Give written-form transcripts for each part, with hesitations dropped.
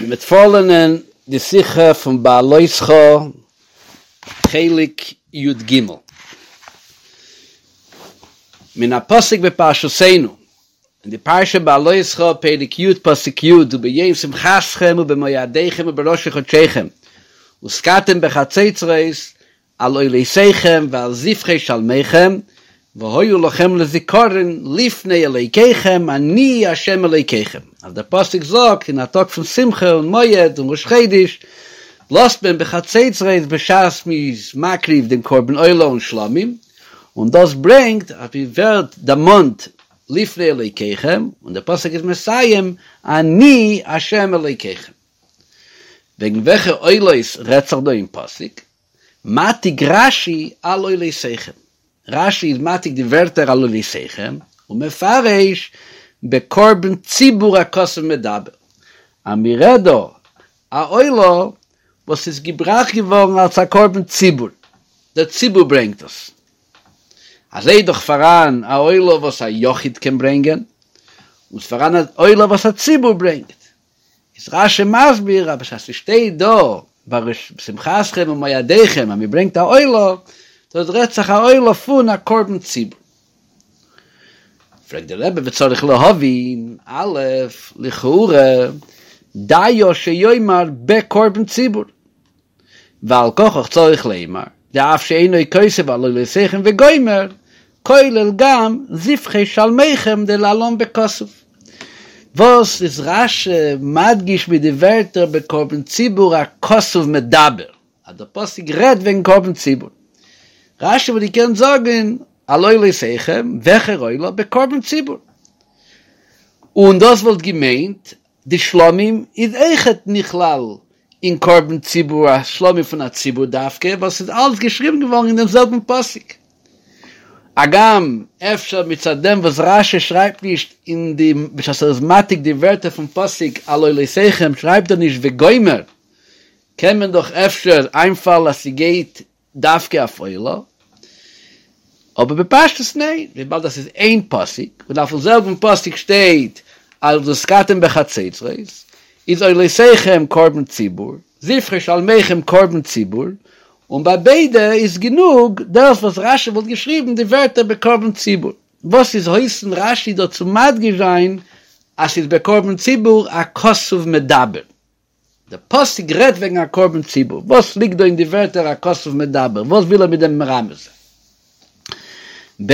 מ'וועט פארלערנען די שיחה פון בהעלותך חלק י ג. מן הפסוק בפרשתנו, אין די פרשה בהעלותך פרק י' פסוק י' וביום שמחתכם ובמועדיכם ובראשי חדשיכם ותקעתם בחצוצרות על עולותיכם ועל זבחי שלמיכם, והיו לכם לזכרון לפני אלוקיכם אני ה' אלוקיכם. אז דער פסוק זאגט אין א טאג פון שמחה און מועד און ראש חודש בלאזט מען בחצוצרות בשעת מ'איז מקריב דעם קרבן עולה און שלמים, און דאס ברענגט אז מ'ווערט דערמאנט לפני אלוקיכם, און דער פסוק איז מסיים אני ה' אלוקיכם. וועגן וועלכע עולות רעדט זיך דא אין פסוק? מעתיק רשי על עולותיכם, רשי איז מעתיק די ווערטער על עולותיכם, ומפרש בקרבן ציבור הכתוב מדבר, אז מ'רעדט דא א עולה וואס איז געבראכט געווארן אלס א קרבן ציבור, דער ציבור ברענגט עס. אזוי איז דאך פאראן א עולה וואס א יחיד קען ברענגען, און ס'פאראן א עולה וואס א ציבור ברענגט. איז רשי מסביר אז בשעת ס'שטייט דא בשמחתכם ומועדיכם אז מ'ברענגט א עולה, דאס רעדט זיך א עולה פון א קרבן ציבור. פרעגט דער רבי וצריך להבין, א', לכאורה דיו שיאמר בקרבן ציבור, ועל כרחך צריך לומר, דאף שאינו כותב על עולותיכם וגומר, כולל גם זבחי שלמיכם דלהלן בכתוב. וואס איז רשי מדגיש מיט די ווערטער בקרבן ציבור הכתוב מדבר, אז דער פסוק רעדט וועגן קרבן ציבור? רשי וואלט געקענט זאגן על עולותיכם, וועלכער עולה? בקרבן ציבור. און דאס וואלט געמיינט די שלמים איז אויכעט נכלל אין קרבן ציבור א שלמים פון א ציבור דווקא וואס איז אלץ געשריבן געווארן אין דעם זעלבן פסוק. הגם אפשר מצד דעם וואס רשי שרייבט נישט אין די בשעת ער איז מעתיק די ווערטער פון פסוק על עולותיכם שרייבט ער נישט וגומר קען מען דאך אפשר איינפאלן אז ס'גייט דווקא אויף עולה, אבער בפשטות ניין, וויבאלד דאס איז איין פסוק, און אויפן זעלבן פסוק שטייט אז ותקעתם בחצוצרות, איז עולותיכם קרבן ציבור, זבחי שלמיכם קרבן ציבור, און ביי ביידע איז גענוג דאס וואס רשי וואלט געשריבן די ווערטער בקרבן ציבור. וואס איז אויסן רשי דא צו מדגיש זיין אז ס'איז בקרבן ציבור הכתוב מדבר? דער פסוק רעדט וועגן א קרבן ציבור, וואס ליגט דא אין די ווערטער הכתוב מדבר, וואס וויל ער מיט דעם מרמז זיין? ב.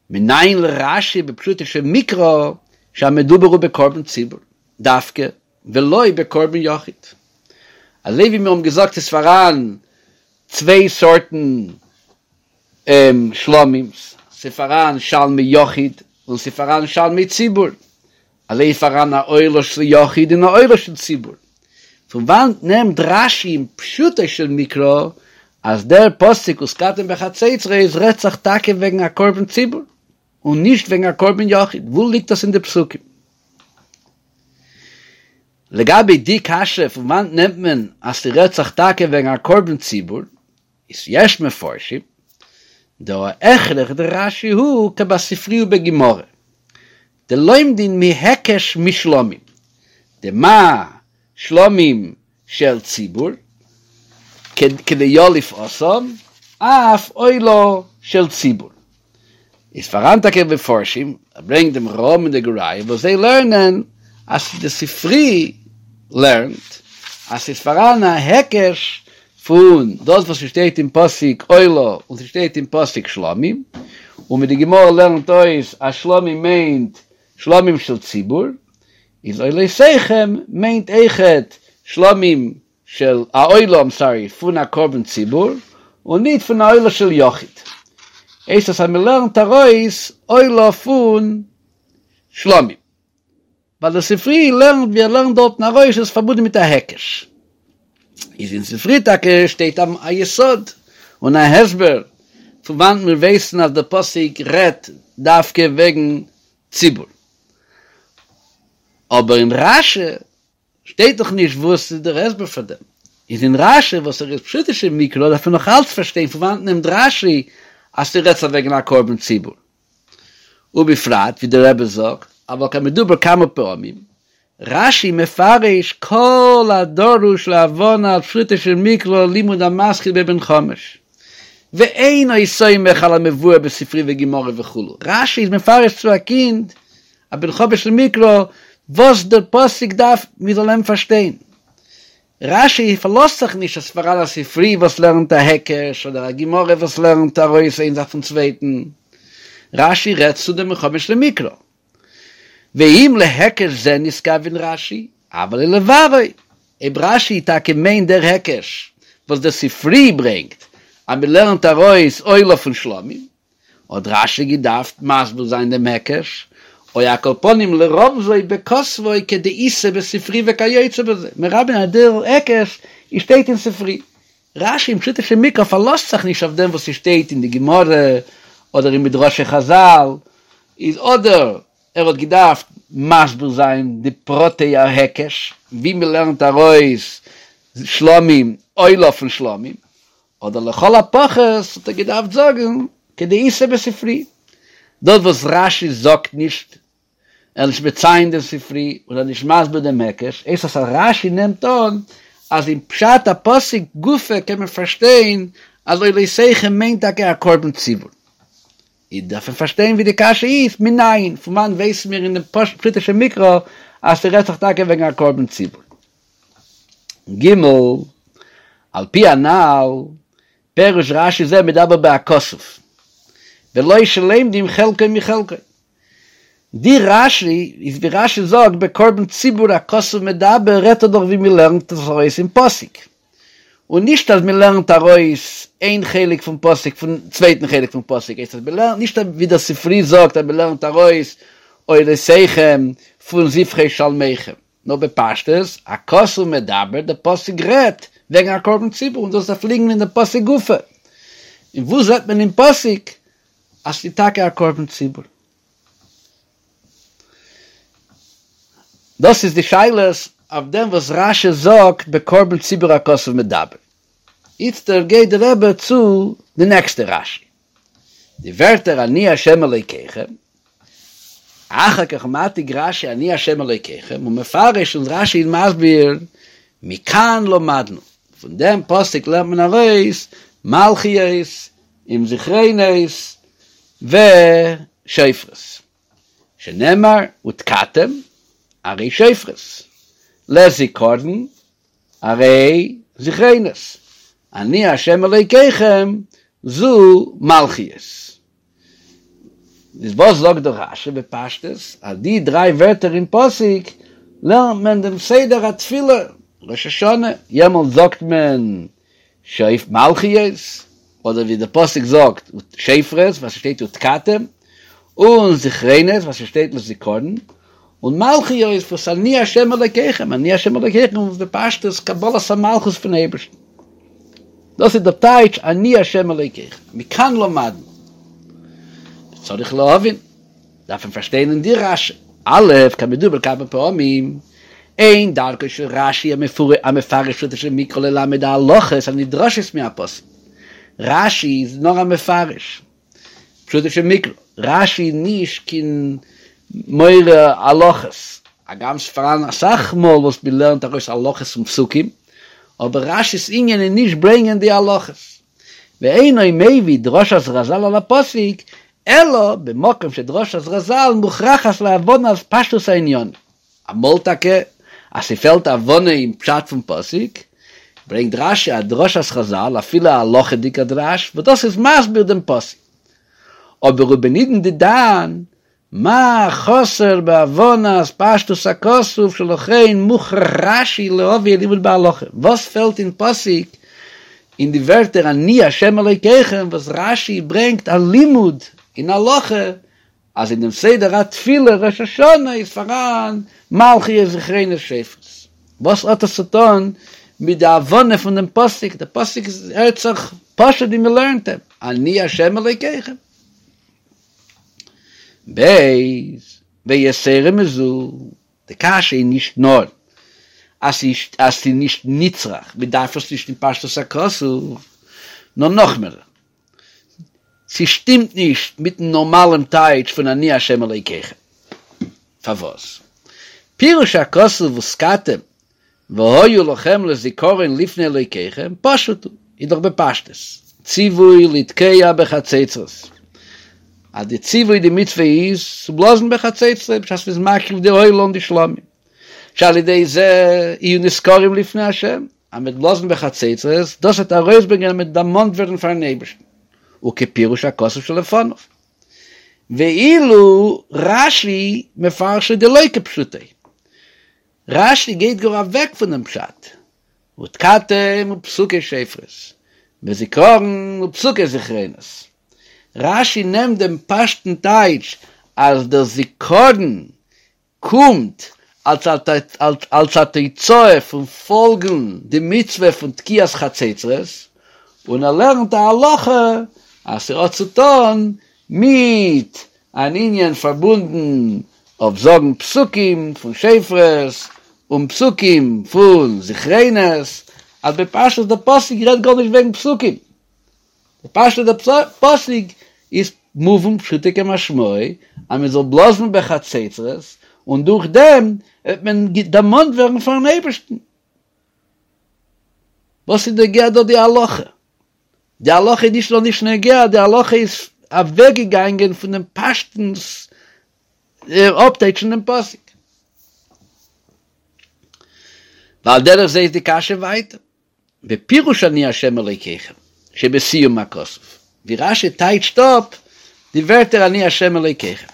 מנין לרשי בפשוטו של מקרא שהמדובר הוא בקרבן ציבור דווקא ולא בקרבן יחיד. אזוי ווי מיר האבן געזאגט איז פאראן צוויי סארטן שלמים'ס, ס'פאראן שלמי יחיד און ס'פאראן שלמי ציבור, אזוי איז פאראן א עולה של יחיד און א עולה של ציבור. פון וואנט נעמט רשי אין פשוטו של מקרא אז דער פסוק ותקעתם בחצוצרות רעדט זיך טאקע וועגן א קרבן ציבור און נישט וועגן א קרבן יחיד? וואו ליגט דאס אין די פסוקים? לגבי די קשיא פון וואנט נעמט מען אז ס'רעדט זיך טאקע וועגן א קרבן ציבור, איז יש מפרשים דההכרח דרשי הוא כבספרי ובגמרא דלומדין מהיקש משלמים דמה שלמים של ציבור כדיליף התם אף עולה של ציבור איז פאראן טאקע מפרשים ער ברענגט דעם רא"ם און די גור אריה וואס זיי לערנען אז די ספרי לערנט אז ס'איז פאראן א היקש פון דאס וואס ס'שטייט אין פסוק עולה און ס'שטייט אין פסוק שלמים, און ווי די גמרא לערנט אויס אז שלמים מיינט שלמים של ציבור, איז עולותיכם מיינט אויכעט שלמים של א עולה איים סארי פון א קרבן ציבור און ניט פון א עולה של יחיד. הייסט עס אז מ'לערנט ארויס עולה פון שלמים. ווייל דער ספרי לערנט ווי ער לערנט דארטן ארויס איז פארבונדן מיט א היקש. איז אין ספרי טאקע שטייט א יסוד און א הסבר פון וואנעט מיר ווייסן אז דער פסוק רעדט דווקא וועגן ציבור. אבער אין רשי שטייט דאך נישט וואס איז דער הסבר פאר דעם. איז אין רשי וואס ער איז פשוטו של מקרא דארף מען נאך אלץ פארשטיין פון וואנעט נעמט רשי אז ס'רעדט זיך וועגן א קרבן ציבור. ובפרט ווי דער רבי זאגט, אבל כמדובר כמה פעמים. רשי מפרש כל הדרוש להבנת פשוטו של מקרא לימוד המתחיל בבן חמש, ואינו סומך על המבואר בספרי וגמרא וכו', רשי איז מפרש צו א קינד א בן חמש למקרא וואס דער פסוק דארף מען זאל אים פארשטיין. רשי פארלאזט זיך נישט אז ס'פאראן א ספרי וואס לערנט א היקש אדער א גמרא וואס לערנט ארויס איין זאך פון צווייטן, רשי רעדט צו דעם בן חמש למקרא. ואם להיקש זה נתכוון רשי, הוה ליה לבארו, אויב רשי טאקע מיינט דער היקש וואס דער ספרי ברענגט אז מען לערנט ארויס עולה פון שלמים, האט רשי געדארפט מסביר זיין דעם היקש, או על כל פנים לרמזו בכתבו כדאיתא בספרי וכיוצא בזה, מיר האבן אז דער היקש שטייט אין ספרי. רשי אין פשוטו של מקרא פארלאזט זיך נישט אויף דעם וואס ס'שטייט אין די גמרא אדער אין מדרשי חזל, איז אדער ער האט געדארפט מסביר זיין די פרטי ההיקש ווי מ'לערנט ארויס שלמים עולה פון שלמים, אדער לכל הפחות האט ער געדארפט זאגן כדאיתא בספרי, דאס וואס רשי זאגט נישט, ער איז נישט מציין דעם ספרי און ער איז נישט מסביר דעם היקש, הייסט אז רשי נעמט אן אז אין פשט הפסוק גופא קען מען פארשטיין אז עולותיכם מיינט טאקע א קרבן ציבור. איז דארף מען פארשטיין ווי די קשיא איז, מנין, פון וואנעט ווייסן מיר אין דעם פשוטו של מקרא אז ס'רעדט זיך טאקע וועגן א קרבן ציבור? ג. על פי הנל, פירוש רשי זה מדבר בהכתוב, ולא שלומדים חלקו מחלקו. די רשי איז ווי רשי זאגט בקרבן ציבור הכתוב מדבר רעדט ער דאך ווי מען לערנט עס ארויס אין פסוק, און נישט אז מען לערנט ארויס איין חלק פון פסוק פון צווייטן חלק פון פסוק, הייסט אז מען לערנט נישט ווי דער ספרי זאגט אז מען לערנט ארויס עולותיכם פון זבחי שלמיכם. נאר בפשטות, הכתוב מדבר, דער פסוק רעדט וועגן א קרבן ציבור און דאס דארף ליגן אין דעם פסוק גופא. און וואו זעט מען אין פסוק אז ס'איז טאקע א קרבן ציבור? דאס איז די שאלות אויף דעם וואס רשי זאגט בקרבן ציבור הכתוב מדבר. איצטער גייט דער רבי צו די נעקסטע רשי. די ווערטער אני ה' אלוקיכם, אחר כך מעתיק רשי אני ה' אלוקיכם ומפרש און רשי איז מסביר מכאן למדנו, פון דעם פסוק לערנט מען ארויס מלכיות עם זכרונות ושופרות, שנאמר ותקעתם הרי שופרות, לזכרון הרי זכרונות, אני ה' אלוקיכם זו מלכיות. איז וואס זאגט דא רשי בפשטות? אז די דריי ווערטער אין פסוק לערנט מען דעם סדר התפילה ראש השנה, יעמאלט זאגט מען שופ מלכיות, אדער ווי דער פסוק זאגט שופרות וואס ס'שטייט ותקעתם, און זכרונות וואס ס'שטייט לזכרון, און מלכיות וואס אני ה' אלוקיכם, אני ה' אלוקיכם איז בפשטות קבלת המלכות פון אייבערשטן. דאס איז דער טייטש אני ה' אלוקיכם, מכאן למדנו. צריך להבין, דארף מען פארשטיין אין די רשי, א' כמדובר כמה פעמים, אין דרכו של רשי המפרש פשוטו של מקרא ללמד ההלכות הנדרשות מהפסוק. רשי איז נאר א מפרש. פשוטו של מקרא, רשי איז נישט קיין מורה הלכות, הגם ס'פאראן אסאך מאל וואס מ'לערנט ארויס הלכות פון פסוקים, אבער רשי'ס ענין איז נישט ברענגען די הלכות, ואינו מביא דרשת רזל על הפסוק, אלא במקום שדרשת רזל מוכרחת להבנת פשטות הענינים. אמאל טאקע אז ס'פעלט הבנה אין פשט פון פסוק, ברענגט רשי א דרשת חזל, אפילו א הלכה'דיגע דרש, וואס דאס איז מסביר דעם פסוק. אבער ובנידון דידן, מה חסר בהבנת פשטות הכתוב שלכן מוכרח רשי להביא לימוד בהלכה, וואס פעלט אין פסוק אין די ווערטער אני ה' אלוקיכם וואס רשי ברענגט א לימוד אין הלכה אז אין דעם סדר התפילה ראש השנה איז פאראן מלכיות זכרונות שופרות. וואס האט עס צו טון מיט די הבנה פון דעם פסוק? דער פסוק הערט זיך פשוט ווי מען לערנט אים, אני ה' אלוקיכם. ב. ויתירה מזו, די קשיא איז נישט נאר אז ס'איז נישט נצרך, מען דארף עס נישט אין פשטות הכתוב, נאר נאכמער, ס'שטימט נישט מיטן נארמאלען טייטש פון אני ה' אלוקיכם. פארוואס? פירוש הכתוב ותקעתם והיו לכם לזיכרון לפני אלוקיכם, פשוט הוא, איז דאך בפשטות, ציווי לתקוע בחצוצרות, אז די ציווי די מצוה איז צו בלאזן בחצוצרות בשעת מ'איז מקריב די עולה און די שלמים, שעל ידי זה יהיו נזכרים לפני השם, אז מ'וועט בלאזן בחצוצרות, דאס וועט ארויסברענגען אז מ'וועט דערמאנט ווערן פארן אייבערשטן, וכפירוש הכתוב שלפניו. ואילו רש"י מפרשו דלא כפשוטו. רש"י גייט גאר אוועק פונעם פשט, ותקעתם ופסוקי שופרות, וזכרון ופסוקי זכרונות. רש"י נעמט דעם פשוט'ן טייטש אז דער זכרון קומט אלס א תוצאה פון פאלגן די מצוה פון תקיעת חצוצרות, און ער לערנט א הלכה אז ס'האט צו טון מיט אן ענין פארבונדן אויף זאגן פסוקים פון שופרות און פסוקים פון זכרונות, אז בפשטות דער פסוק רעדט גארנישט וועגן פסוקים, בפשטות דער פסוק איז מובן פשוטו כמשמעו אז מען זאל בלאזן בחצוצרות און דורך דעם וועט מען דערמאנט ווערן פארן אייבערשטן. וואס איז נוגע דא די הלכה? די הלכה איז נישט נאר נישט נוגע, די הלכה איז אוועקגעגאנגען פון דעם פשטות אפטייטשן דעם פסוק. ועל דרך זה איז די קשיא ווייטער. בפירוש אני ה' אלוקיכם, שבסיום הכתוב, ווי רש"י טייטשט אפ די ווערטער אני ה' אלוקיכם.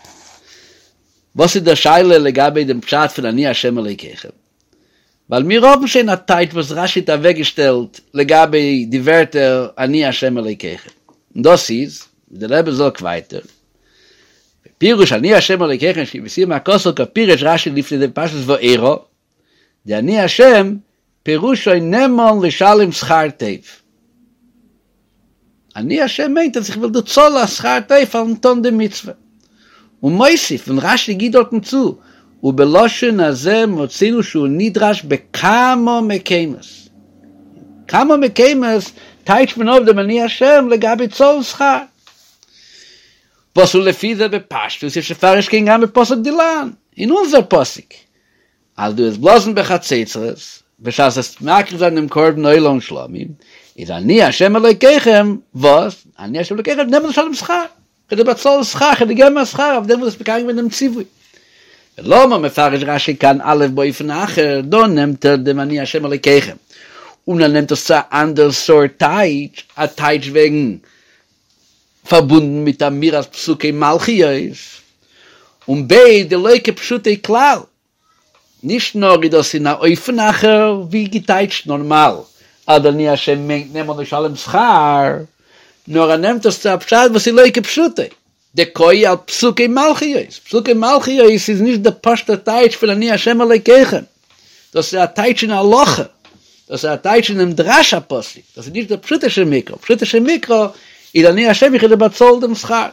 וואס איז דער שאלה לגבי דעם פשט פון אני ה' אלוקיכם? ווייל מיר האבן שוין א טייטש וואס רש"י האט אוועקגעשטעלט לגבי די ווערטער אני ה' אלוקיכם, און דאס איז, ווי דער רבי זאגט ווייטער, בפירוש אני ה' אלוקיכם שבסיום הכתוב כפירש רש"י לפני זה בפרשת וארא, דאני השם פירושו נאמן לשלם שכר טוב. אני השם מיינט אז איך וועל דיר צאלן א שכר טוב פארן טון די מצוה. ומוסיף, און רש"י גיט דארטן צו, ובלשון הזה מצינו שהוא נדרש בכמה מקומות. כמה מקומות טייטשט מען אויף דעם אני השם לגבי צאלן שכר. וואס ולפי זה בפשטות יש לפרש כן גם בפסוק דילן, אין אונזער פסוק, אז דו וועסט בלאזן בחצוצרות, בשעת וועסט מקריב זיין דעם קרבן עולה און שלמים, איז אני ה' אלוקיכם, וואס? אני ה' אלוקיכם נאמן לשלם שכר, כ'וועל דיר באצאלן שכר, כ'וועל דיר געבן א שכר אויף דעם וואס האסט מקיים געווען דעם ציווי. ולמה מפרש רש"י כאן א' באופן אחר, דא נעמט ער דעם אני ה' אלוקיכם, און ער נעמט עס צו א אנדער סארט טייטש, א טייטש וועגן פארבונדן מיט אמירת פסוקי מלכיות, און ב' דלא כפשוטו כלל, נישט נאר איז דאס אין א אופן אחר ווי געטייטשט נארמאל אז אני השם מיינט נאמן לשלם שכר, נאר ער נעמט עס צו א פשט וואס איז לא כפשוטו, דקאי על פסוקי מלכיות, פסוקי מלכיות איז נישט די פשוטע טייטש פון אני השם אלוקיכם, דאס איז א טייטש אין הלכה, דאס איז א טייטש אינעם דרש הפסוק, דאס איז נישט דער פשוטו של מקרא, פשוטו של מקרא איז אני השם איך וועל דיר באצאלן דעם שכר.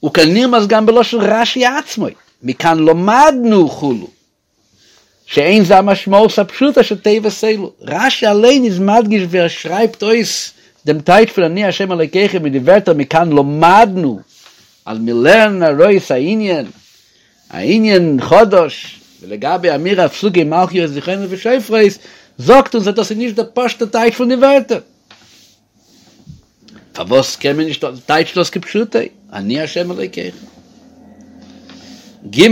וכנרמז גם בלשון רש"י עצמו, מכאן למדנו כו', שאין זה המשמעות הפשוטה של תיבות אלו. רש"י אליין איז מדגיש ווי ער שרייבט אויס דעם טייטש פון אני השם אלוקיכם מיט די ווערטער מכאן למדנו, אז מיר לערנען ארויס א ענין, א ענין חדש, ולגבי אמירת פסוקי מלכיות זכרונות ושופרות, זאגט אונז אז דאס איז נישט דער פשוט'ער טייטש פון די ווערטער. פארוואס קען מען נישט טייטשן דאס כפשוטו, אני ה' אלוקיכם? ג.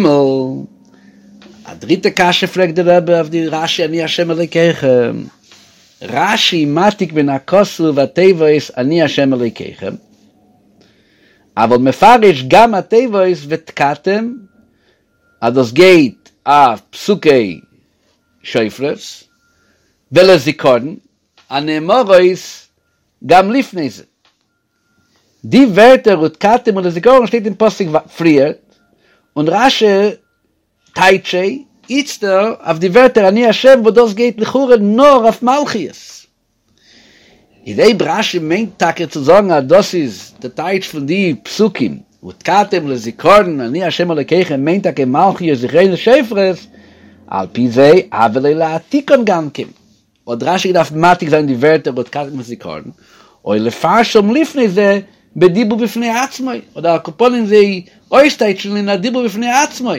א דריטע קשיא פרעגט דער רבי אויף די רש"י אני ה' אלוקיכם, רש"י מעתיק מן הכתוב התיבות אני ה' אלוקיכם, אבל מפרש גם התיבות ותקעתם אז דאס גייט אויף פסוקי שופרות, ולזכרון, הנאמרות גם לפני זה. די ווערטער ותקעתם ולזכרון שטייט אין פסוק פריערט, און רש"י טייטשט זיי איצטער אויף די ווערטער אני ה' וואס דאס גייט לכאורה נאר אויף מלכיות. איז אויב רש"י מיינט טאקע צו זאגן אז דאס איז די טייטש פון די פסוקים ותקעתם לזכרון אני ה' אלוקיכם מיינט טאקע מלכיות זכרונות שופרות, על פי זה הוה ליה להעתיקן גם כן. האט רש"י געדארפט מעתיק זיין די ווערטער ותקעתם לזכרון, או לפרשם לפני זה בדיבור בפני עצמו, אדער על כל פנים זיי אויסטייטשן אין א דיבור בפני עצמו.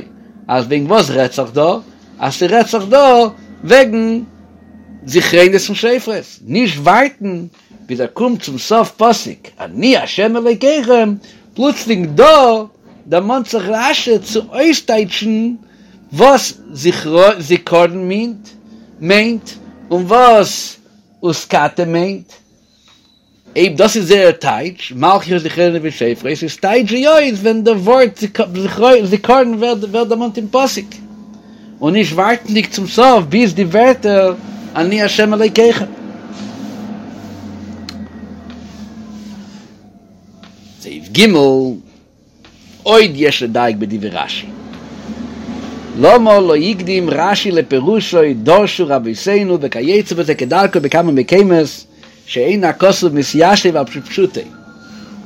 אז וועגן וואס רעדט זיך דא? אז ס'רעדט זיך דא וועגן זכרונות און שופרות, נישט ווארטן ביז ער קומט צום סוף פסוק אני ה' אלוקיכם, פלוצלינג דא דערמאנט זיך רשי צו אויסטייטשן וואס זכרון מיינט מיינט און וואס ותקעתם מיינט, אויב דאס איז זייער טייטש, מלכיות זכרונות ושופרות, איז טייטש זיי אויס ווען די ווארט זכרון ווערט דערמאנט אין פסוק, און נישט ווארטנדיג צום סוף ביז די ווערטער אני ה' אלוקיכם. סעיף ג'. עוד יש לדייק בדברי רשי. למה לא הקדים רשי לפירושו דרשו רבותינו וכיוצא בזה כדרכו בכמה מקומות שאין הכתוב מתיישב על פי פשוטו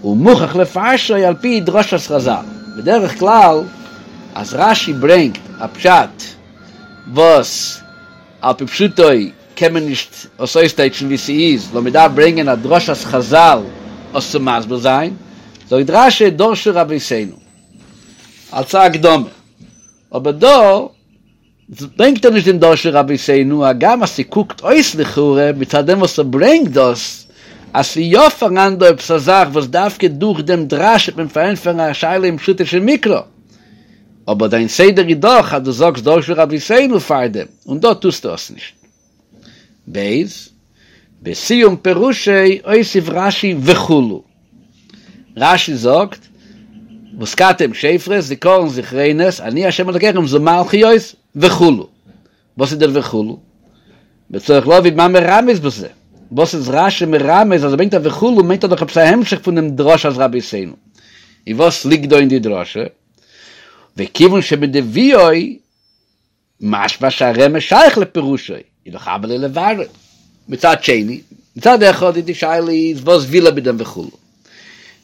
ומוכרח לפרשו על פי דרשת חזל. בדרך כלל אז רשי ברענגט א פשט וואס על פי פשוטו קען מען נישט עס אויסטייטשן ווי ס'איז, נאר מ'דארף ברענגען א דרשת חזל עס צו מסביר זיין, זאגט רשי דרשו רבותינו אלס א הקדמה, אבער דא ברענגט ער נישט דעם דרשו רבותינו, הגם אז ס'קוקט אויס לכאורה מצד דעם וואס ער ברענגט דאס, אז ס'איז יא פאראן דא עפעס א זאך וואס דווקא דורך דעם דרש וועט מען פארענטפערן א שאלה אין פשוטו של מקרא. אבער דיין סדר איז דאך אז דו זאגסט דרשו רבותינו פארדעם, און דא טוסטו עס נישט. ב. בסיום פירושו הוסיף רשי וכו'. רשי זאגט, ותקעתם שופרות, זכרון זכרונות, אני ה' אלקיכם זו מלכיות, וכו'. וואס איז דער וכו'? וצריך להבין מה מרמז בזה. וואס איז רשי מרמז אז ער ברענגט א וכו' מיינט ער דאך עפעס א המשך פון דעם דרשת רבותינו. און וואס ליגט דא אין די דרשה? וכיוון שמדביאו משמע שהרמז שייך לפירושו, איז דאך הוה ליה לבארו. מצד שני, מצד אחד איז די שאלה איז וואס וויל ער מיט דעם וכו'.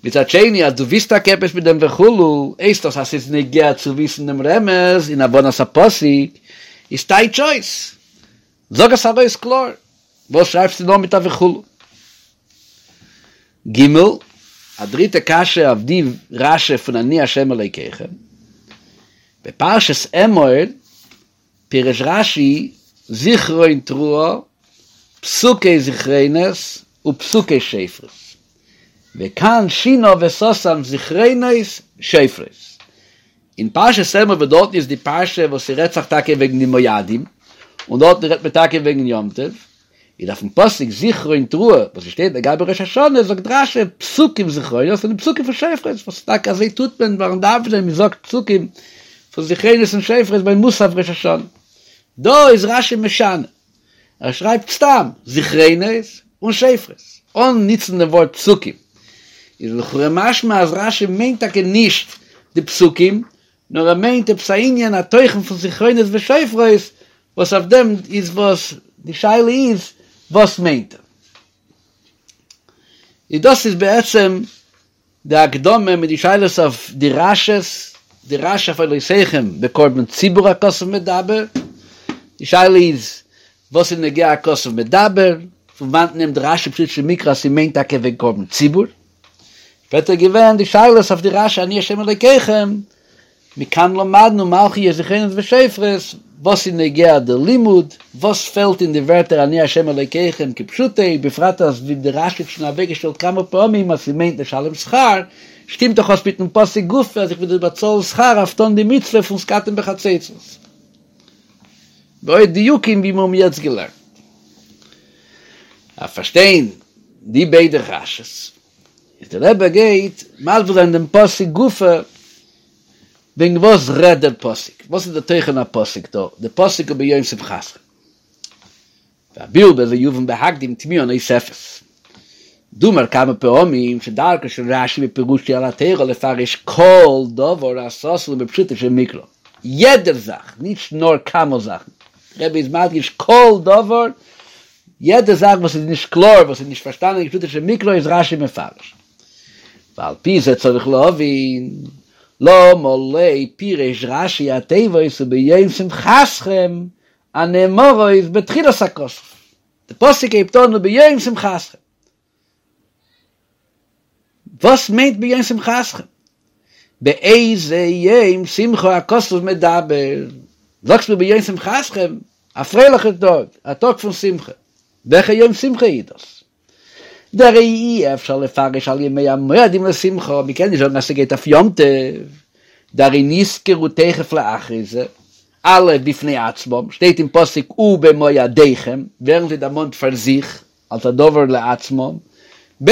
מצד שני אז דו ווילסט טאקע עפעס מיט דעם וכו', הייסט דאס אז ס'איז נוגע צו וויסן דעם רמז אין הבנת הפסוק, איז טייטש אויס, זאג עס ארויס קלאר, וואס שרייבסטו נאר מיט א וכו'? ג. א דריטע קשיא אויף די רשי פון אני ה' אלוקיכם, בפרשת אמור פירש רשי זכרון תרועה, פסוקי זכרונות ופסוקי שופרות, וכאן שינה וסתם זכרונות שופרות. אין פרשת אמור וואס דארטן איז די פרשה וואס ס'רעדט זיך טאקע וועגן די מועדים, און דארטן רעדט מען טאקע וועגן יום טוב, איז אויפן פסוק זכרון תרועה וואס שטייט לגבי ראש השנה זאגט רשי פסוקים זכרונות און פסוקים פון שופרות וואס טאקע אזוי טוט מען ביים דאווענען מען זאגט פסוקים פון זכרונות און שופרות ביי מוסף ראש השנה דא איז רשי משנה ער שרייבט סתם זכרונות און שופרות אן ניצן דעם ווארט פסוקים איז לכאורה משמע אז רשי מיינט טאקע נישט די פסוקים נאר ער מיינט עפעס א ענין א תוכן פון זכרונות ושופרות וואס אויף דעם איז וואס די שאלה איז וואס מיינט ער. איז דאס איז בעצם די הקדמה מיט די שאלות אויף די רשי'ס, די רשי אויף עולותיכם בקרבן ציבור הכתוב מדבר, די שאלה איז וואס איז נוגע הכתוב מדבר, פון וואנט נעמט רשי פשוטו של מקרא אז ס'מיינט טאקע וועגן קרבן ציבור, שפעטער געווען די שאלות אויף די רשי אני ה' אלוקיכם, מכאן למדנו מלכיות זכרונות ושופרות, וואס איז נוגע די לימוד, וואס פעלט אין די ווערטער אני ה' אלוקיכם כפשוטו, בפרט אז ווי די רשי האט שוין אוועקגעשטעלט כמה פעמים אז ס'מיינט לשלם שכר, שטימט דאך אויס מיטן פסוק גופא אז איך וויל דיר באצאלן שכר אויף טון די מצוה פון ותקעתם בחצוצרות. ועוד דיוקים ווי מיר האבן יעצט געלערנט. אויף פארשטיין די ביידע רשי'ס. איז דער רבי גייט מסביר זיין דעם פסוק גופא, וועגן וואס רעדט דער פסוק, וואס איז דער תוכן הפסוק דא, דער פסוק וביום שמחתכם. והביאור בזה יובן בהקדים תמיהה נוספת. דאמר כמה פעמים שדרכו של רשי בפירושו על התורה לפרש כל דבר הסתור בפשוטו של מקרא, יעדער זאך, נישט נאר כמה זאכן, דער רבי איז מדגיש כל דבר יעדע זאך וואס איז נישט קלאר, וואס איז נישט פארשטאנען אין פשוטו של מקרא איז רשי מפרש. ועל פי זה צריך להבין, למה לא פירש רשי התיבות וביום שמחתכם הנאמרות בתחילת הכתוב. די פסוק הייבט אן וביום שמחתכם. וואס מיינט ביום שמחתכם? באיזה יום שמחה הכתוב מדבר, זאגסט מיר ביום שמחתכם, א פרייליכע טאג, א טאג פון שמחה, וועלכע יום שמחה איז דאס? דהרי אי אפשר לפרש על ימי המועדים לשמחה, מ'קען נישט זאגן אז ס'גייט אויף יום טוב, דהרי נזכרו תיכף לאחרי זה, א' בפני עצמם, שטייט אין פסוק ובמועדיכם, ווערן זיי דערמאנט פאר זיך, אלס א דבר לעצמם, ב'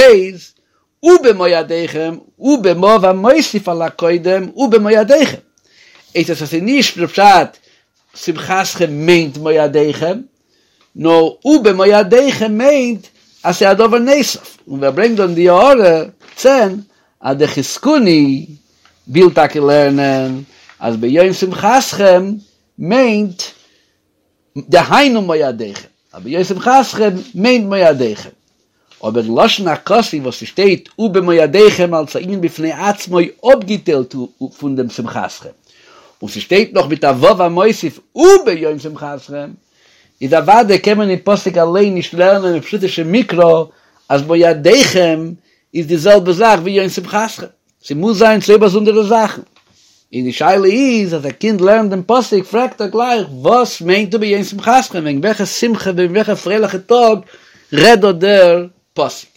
ובמועדיכם, ובמו' המוסיף על הקודם ובמועדיכם. הייסט עס אז ס'איז נישט בפשט שמחתכם מיינט מועדיכם, נאר ובמועדיכם מיינט אז ס'איז א דבר נוסף, און ווער ברענגט דא אין די הערה צען אז דער חזקוני וויל טאקע לערנען אז ביום שמחתכם מיינט דהיינו מועדיכם, אז ביום שמחתכם מיינט מועדיכם, אבער אין לשון הכתוב וואס ס'שטייט ובמועדיכם אלס א ענין בפני עצמו אפגעטיילט פון דעם שמחתכם, און ס'שטייט נאך מיט א ו' המוסיף וביום שמחתכם, איז אוודאי קען מען אין פסוק אליין נישט לערנען אין פשוטו של מקרא אז מועדיכם איז די זעלבע זאך ווי יום שמחתכם, ס'מוז זיין צוויי באזונדערע זאכן. און די שאלה איז אז א קינד לערנט דעם פסוק פרעגט ער גלייך וואס מיינט וביום שמחתכם, וועגן וועלכע שמחה וועגן וועלכע פרייליכע טאג רעדט דא דער פסוק.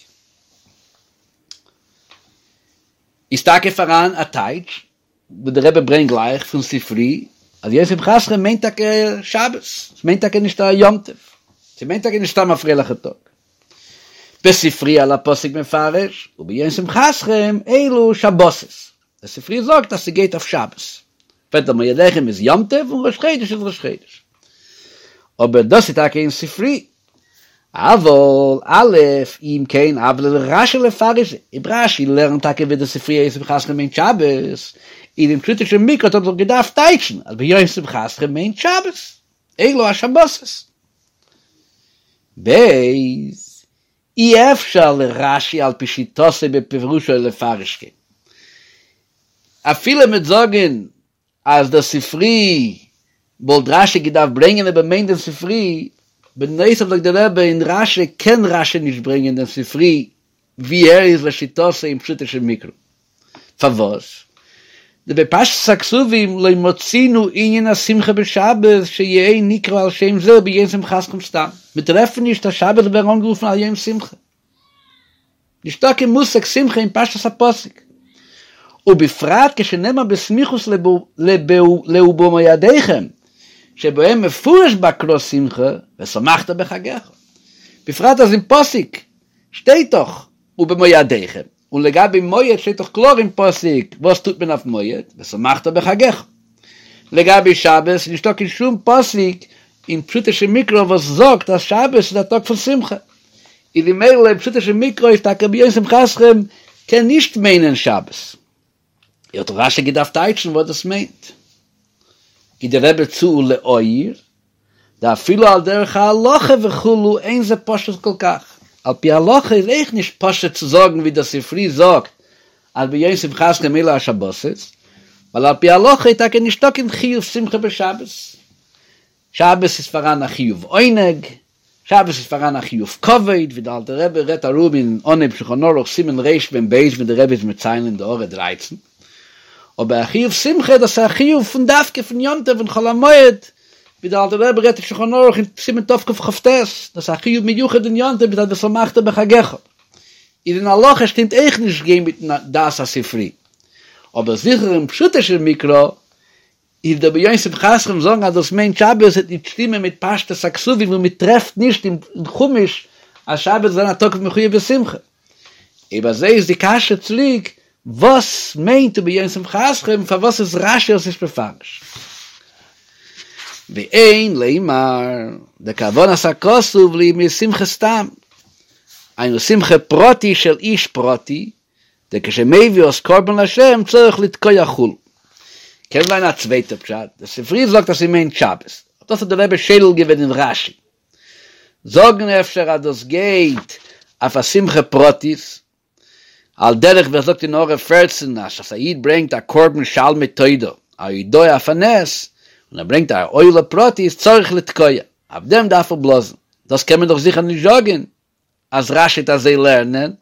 איז טאקע פאראן א טייטש וואס דער רבי ברענגט גלייך פון ספרי אז יום שמחתכם מיינט טאקע שבת, ס'מיינט טאקע נישט א יום טוב, ס'מיינט טאקע נישט סתם א פרייליכע טאג. בספרי על הפסוק מפרש, וביום שמחתכם אלו שבתות, דער ספרי זאגט אז ס'גייט אויף שבת, פרעגט ער מועדיכם איז יום טוב און ראש חודש איז ראש חודש, אבער דאס איז טאקע אין ספרי, אבל א' אם כן הוה ליה לרש"י לפרש, אויב רש"י לערנט טאקע ווי דער ספרי יום שמחתכם מיינט שבת, איז אין פשוטו של מקרא האט ער דאך געדארפט טייטשן אז ביום שמחתכם מיינט שבת, אלו השבתות. ב. אי אפשר לרש"י על פי שיטתו בפירושו לפרש כן. אפילו מ'וועט זאגן אז דער ספרי וואלט רש"י געדארפט ברענגען אויב ער מיינט דעם ספרי, בנוסף זאגט דער רבי אין רש"י קען רש"י נישט ברענגען דעם ספרי ווי ער איז לשיטתו אין פשוטו של מקרא. פארוואס? דבפשטות הכתובים לא מצינו ענין השמחה בשבת שיהא נקרא על שם זה וביום שמחתכם סתם. מיר טרעפן נישט אז שבת זאל ווערן אנגערופן א יום שמחה. נישטא קיין מושג שמחה אין פשטות הפסוק. ובפרט כשנאמר בסמיכות לאובמועדיכם שבהם מפורש בהקרא שמחה ושמחת בחגיך. בפרט אז אין פסוק שטייט דאך ובמועדיכם, און לגבי מועד שטייט דאך קלאר אין פסוק וואס טוט מען אויף מועד, ושמחת בחגיך. לגבי שבת איז נישטא קיין שום פסוק אין פשוטו של מקרא וואס זאגט אז שבת איז א טאג פון שמחה, איז ממילא אין פשוטו של מקרא איז טאקע ביום שמחתכם קען נישט מיינען שבת. האט רש"י געדארפט טייטשן וואס דאס מיינט. גיט דער רבי צו ולהעיר, דאפילו על דרך ההלכה וכו' אין זה פשוט כל כך, על פי הלכה איז אויך נישט פשוט צו זאגן ווי דער ספרי זאגט אז ביום שמחתכם אלו השבתות, ווייל על פי הלכה איז טאקע נישטא קיין חיוב שמחה בשבת, שבת איז פאראן א חיוב עונג, שבת איז פאראן א חיוב כבוד, ווי דער אלטער רבי רעדט ארום אין אנהייב שולחן ערוך סימן רמ"ב ווי דער רבי איז מציין אין די הערה דרייצן, אבער א חיוב שמחה דאס איז א חיוב פון דווקא פון יום טוב און חול המועד, ווי דער אלטער רבי רעדט אין שולחן ערוך אין סימן תקכ"ט, דאס איז א חיוב מיוחד אין יום טוב מצד ושמחת בחגיך. איז אין הלכה שטימט אויך נישט גיין מיטן דעת הספרי, אבער זיכער אין פשוטו של מקרא איז דער ביום שמחתכם זאגן אז דאס מיינט שבת וועט נישט שטימען מיט פשטות הכתובים וואו מען טרעפט נישט אין חומש אז שבת זאל זיין א טאג מחויב בשמחה. אויב אזוי איז די קשיא צוריק, וואס מיינט וביום שמחתכם, פארוואס איז רש"י עס נישט מפרש? ואין לומר דכוונת הכתוב לימי שמחה סתם, היינו שמחה פרטי של איש פרטי, דכשמביא אז קרבן להשם צריך לתקוע כו'. קען זיין א צווייטע פשט, דער ספרי זאגט אז ס'מיינט שבת, דאס האט דער רבי שולל געווען אין רש"י. זאגן אפשר אז דאס גייט אויף א שמחה פרטית, על דרך ווי ער זאגט אין הערה פערצן אז אז א איד ברענגט א קרבן שלמי תודה, א הודאה אויף א נס, און ער ברענגט א עולה פרטית צריך לתקוע, אויף דעם דארף ער בלאזן, דאס קען מען דאך זיכער נישט זאגן אז רש"י וועט אזוי לערנען.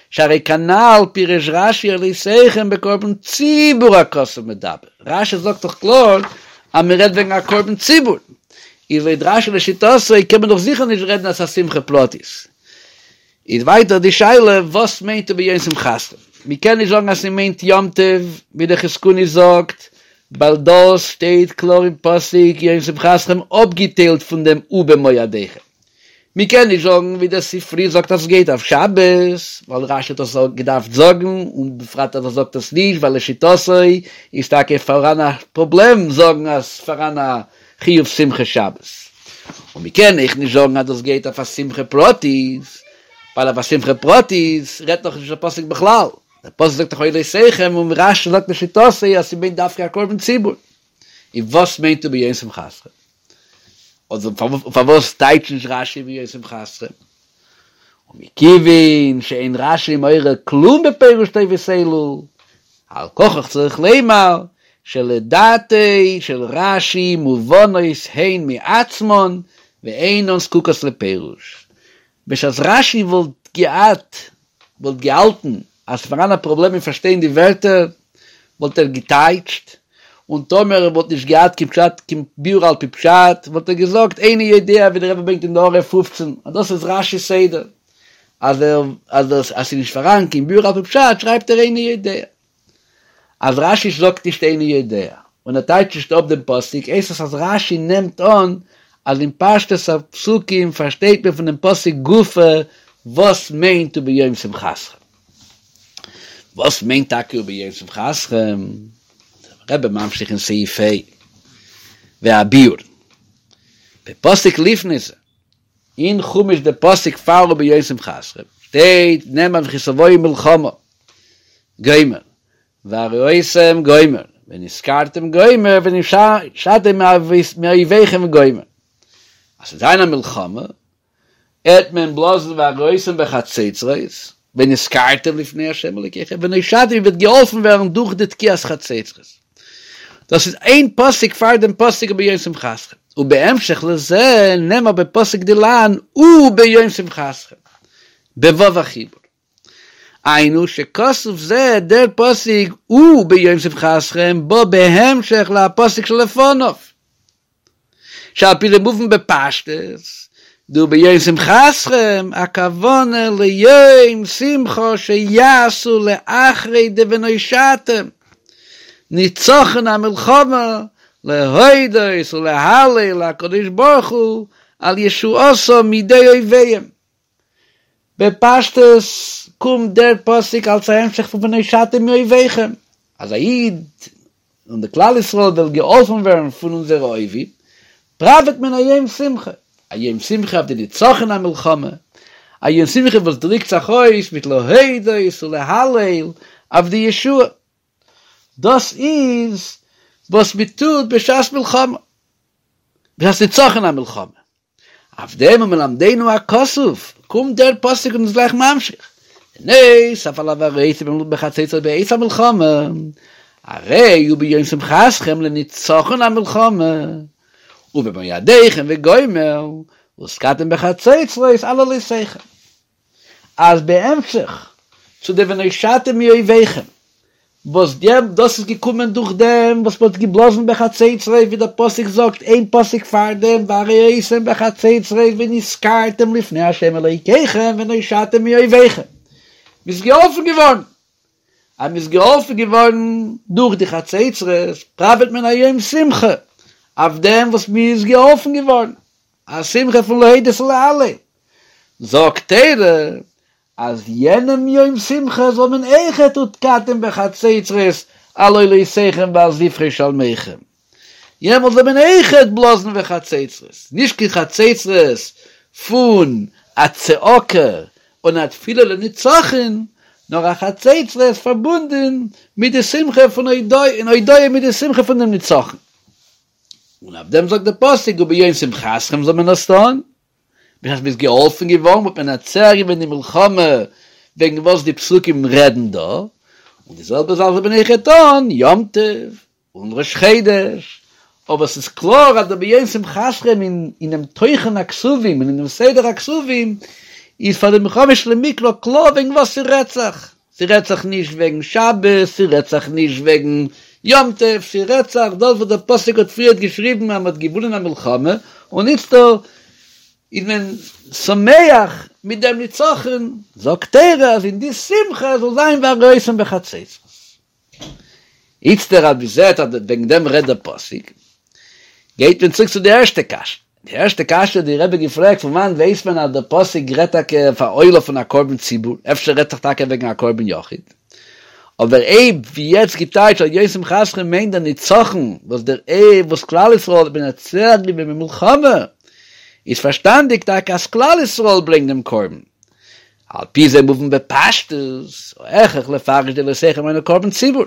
שהרי כנל פירש רשי עולותיכם בקרבן ציבור הכתוב מדבר, רשי זאגט דאך קלאר אז מען רעדט וועגן א קרבן ציבור, איז לויט רשי לשיטתו קען מען דאך זיכער נישט רעדן אז ס'איז א שמחה פרטית. איז ווייטער די שאלה וואס מיינט וביום שמחתכם? מען קען נישט זאגן אז ס'מיינט יום טוב ווי דער חזקוני זאגט, ווייל דאס שטייט קלאר אין פסוק יום שמחתכם אפגעטיילט פון דעם ובמועדיכם. מען קען נישט זאגן ווי דער ספרי זאגט אז ס'גייט אויף שבת, ווייל רשי האט עס געדארפט זאגן, און בפרט אז ער זאגט עס נישט ווייל לשיטתו איז טאקע פאראן א פראבלעם זאגן אז ס'פאראן א חיוב שמחה שבת. און מען קען אויך נישט זאגן אז דאס גייט אויף א שמחה פרטית, ווייל אויף א שמחה פרטית רעדט דאך נישט דער פסוק בכלל, דער פסוק זאגט דאך עולותיכם און רשי זאגט לשיטתו אז ס'מיינט דווקא א קרבן ציבור. און וואס מיינט וביום שמחתכם? אדער פארוואס טייטשט נישט רשי וביום שמחתכם? ומכיוון שאין רשי מעורר כלום בפירוש תיבות אלו, על כרחך צריך לומר שלדעתו של רשי מובנות הן מעצמן ואינן זקוקות לפירוש. בשעת רשי וואלט געהאט וואלט געהאלטן אז ס'פאראן א פראבלעם אין פארשטיין די ווערטער, וואלט ער געטייטשט, און טאמער ער וואלט נישט געהאט קיין פשט קיין ביאור על פי פשט, וואלט ער געזאגט איני יודע ווי דער רבי ברענגט אין די הערה פופצן, אז דאס איז רשי'ס סדר, אז ער אז דאס אז ס'איז נישט פאראן קיין ביאור על פי פשט שרייבט ער איני יודע. אז רשי זאגט נישט איני יודע, און ער טייטשט נישט אפ דעם פסוק, הייסט עס אז רשי נעמט אן אז אין פשטות הפסוקים פארשטייט מען פון דעם פסוק גופא וואס מיינט וביום שמחתכם. וואס מיינט טאקע וביום שמחתכם? דער רבי ממשיך אין סעיף ה' והביאור בפסוק לפני זה, אין חומש די פסוק פאר וביום שמחתכם שטייט נאמר וכי תבואו מלחמה גומר והרעותם גומר ונזכרתם גומר ונושעתם מאויביכם גומר אז ס'וועט זיין א מלחמה עט מען בלאזן והרעותם בחצוצרות ונזכרתם לפני ה' אלוקיכם ונושעתם איר וועט געהאלפן ווערן דורך די תקיעת חצוצרות. דאס איז איין פסוק פאר דעם פסוק וביום שמחתכם, ובהמשך לזה נאמר בפסוק דילן וביום שמחתכם, בו' החיבור. היינו שכתוב זה דער פסוק וביום שמחתכם בא בהמשך להפסוק שלפניו. שעל פי זה מובן בפשטות, דוביום שמחתכם, הכוונה ליום שמחה שיעשו לאחרי דונושעתם, ניצחון המלחמה, להודות ולהלל להקדוש ברוך הוא על ישועתם מידי אויביהם. בפשטות קומט דער פסוק אלס א המשך פון ונושעתם מאויביכם, אז א איד און די כלל ישראל וויל געהאלפן ווערן פון אונזערע אויבים, פראוועט מען א יום שמחה, א יום שמחה אויף די נצחון המלחמה, א יום שמחה וואס דריקט זיך אויס מיט להודות ולהלל אויף די ישועה. דאס איז וואס מען טוט בשעת מלחמה, בשעת נצחון המלחמה. אויף דעם ומלמדנו הכתוב, קומט דער פסוק און איז גלייך ממשיך, נוסף על והרעותם בחצוצרות בעת המלחמה, הרי הוא ביום שמחתכם לנצחון המלחמה, ובמועדיכם וגומר, ותקעתם בחצוצרות על עולותיכם. אז בהמשך צו די ונושעתם מאויביכם, וואס דאס איז געקומען דורך דעם וואס מ'האט געבלאזן בחצוצרות, ווי דער פסוק זאגט איין פסוק פאר דעם והרעותם בחצוצרות ונזכרתם לפני ה' אלוקיכם ונושעתם מאויביכם, מ'איז געהאלפן געווארן, אז מ'איז געהאלפן געווארן דורך די חצוצרות, פראוועט מען א יום שמחה אויף דעם וואס מ'איז געהאלפן געווארן, א שמחה פון להודות ולהלל. זאגט תורה אז יענעם יום שמחה זאל מען אויכעט ותקעתם בחצוצרות על עולותיכם ועל זבחי שלמיכם, יעמאלט זאל מען אויכעט בלאזן בחצוצרות, נישט קיין חצוצרות פון א צעקה און א תפילה לנצחון, נאר א חצוצרות פארבונדען מיט די שמחה פון הודאה און הודאה מיט די שמחה פון דעם נצחון. און אויף דעם זאגט דער פסוק וביום שמחתכם זאל מען עס טון, בשעת מ'איז געהאלפן געווארן האט מען מנצח געווען די מלחמה וועגן וואס די פסוקים רעדן דא, און די זעלבע זאך זאל מען אויכעט טון יום טוב און ראש חודש, אבער ס'איז קלאר אז דער ביום שמחתכם אינעם תוכן הכתובים און אינעם סדר הכתובים. איז פאר דעם בן חמש למקרא קלאר וועגן וואס ס'רעדט זיך, ס'רעדט זיך נישט וועגן שבת, ס'רעדט זיך נישט וועגן יום טוב, ס'רעדט זיך דאס וואס דער פסוק האט פריערט געשריבן אז מ'האט געוואונען א מלחמה און איצטער איז מען שמח מיט דעם נצחון, זאגט תורה אז אין די שמחה זאל זיין והרעותם בחצוצרות. איצטער אז מ'זעט אז וועגן דעם רעדט דער פסוק, גייט מען צוריק צו די ערשטע קשיא. די ערשטע קשיא האט די רבי געפרעגט, פון וואנעט ווייסט מען אז דער פסוק רעדט טאקע אויף א עולה פון א קרבן ציבור, אפשר רעדט זיך טאקע וועגן א קרבן יחיד? אבער אויב ווי יעצט געטייטשט אז יום שמחתכם מיינט דער נצחון וואס דער וואס כלל ישראל האט מנצח געווען במלחמה, איז פארשטאנדיג טאקע אז כלל ישראל ברענגט דעם קרבן, על פי זה מובן בפשטות, ההכרח לפרש דעולותיכם היינו קרבן ציבור,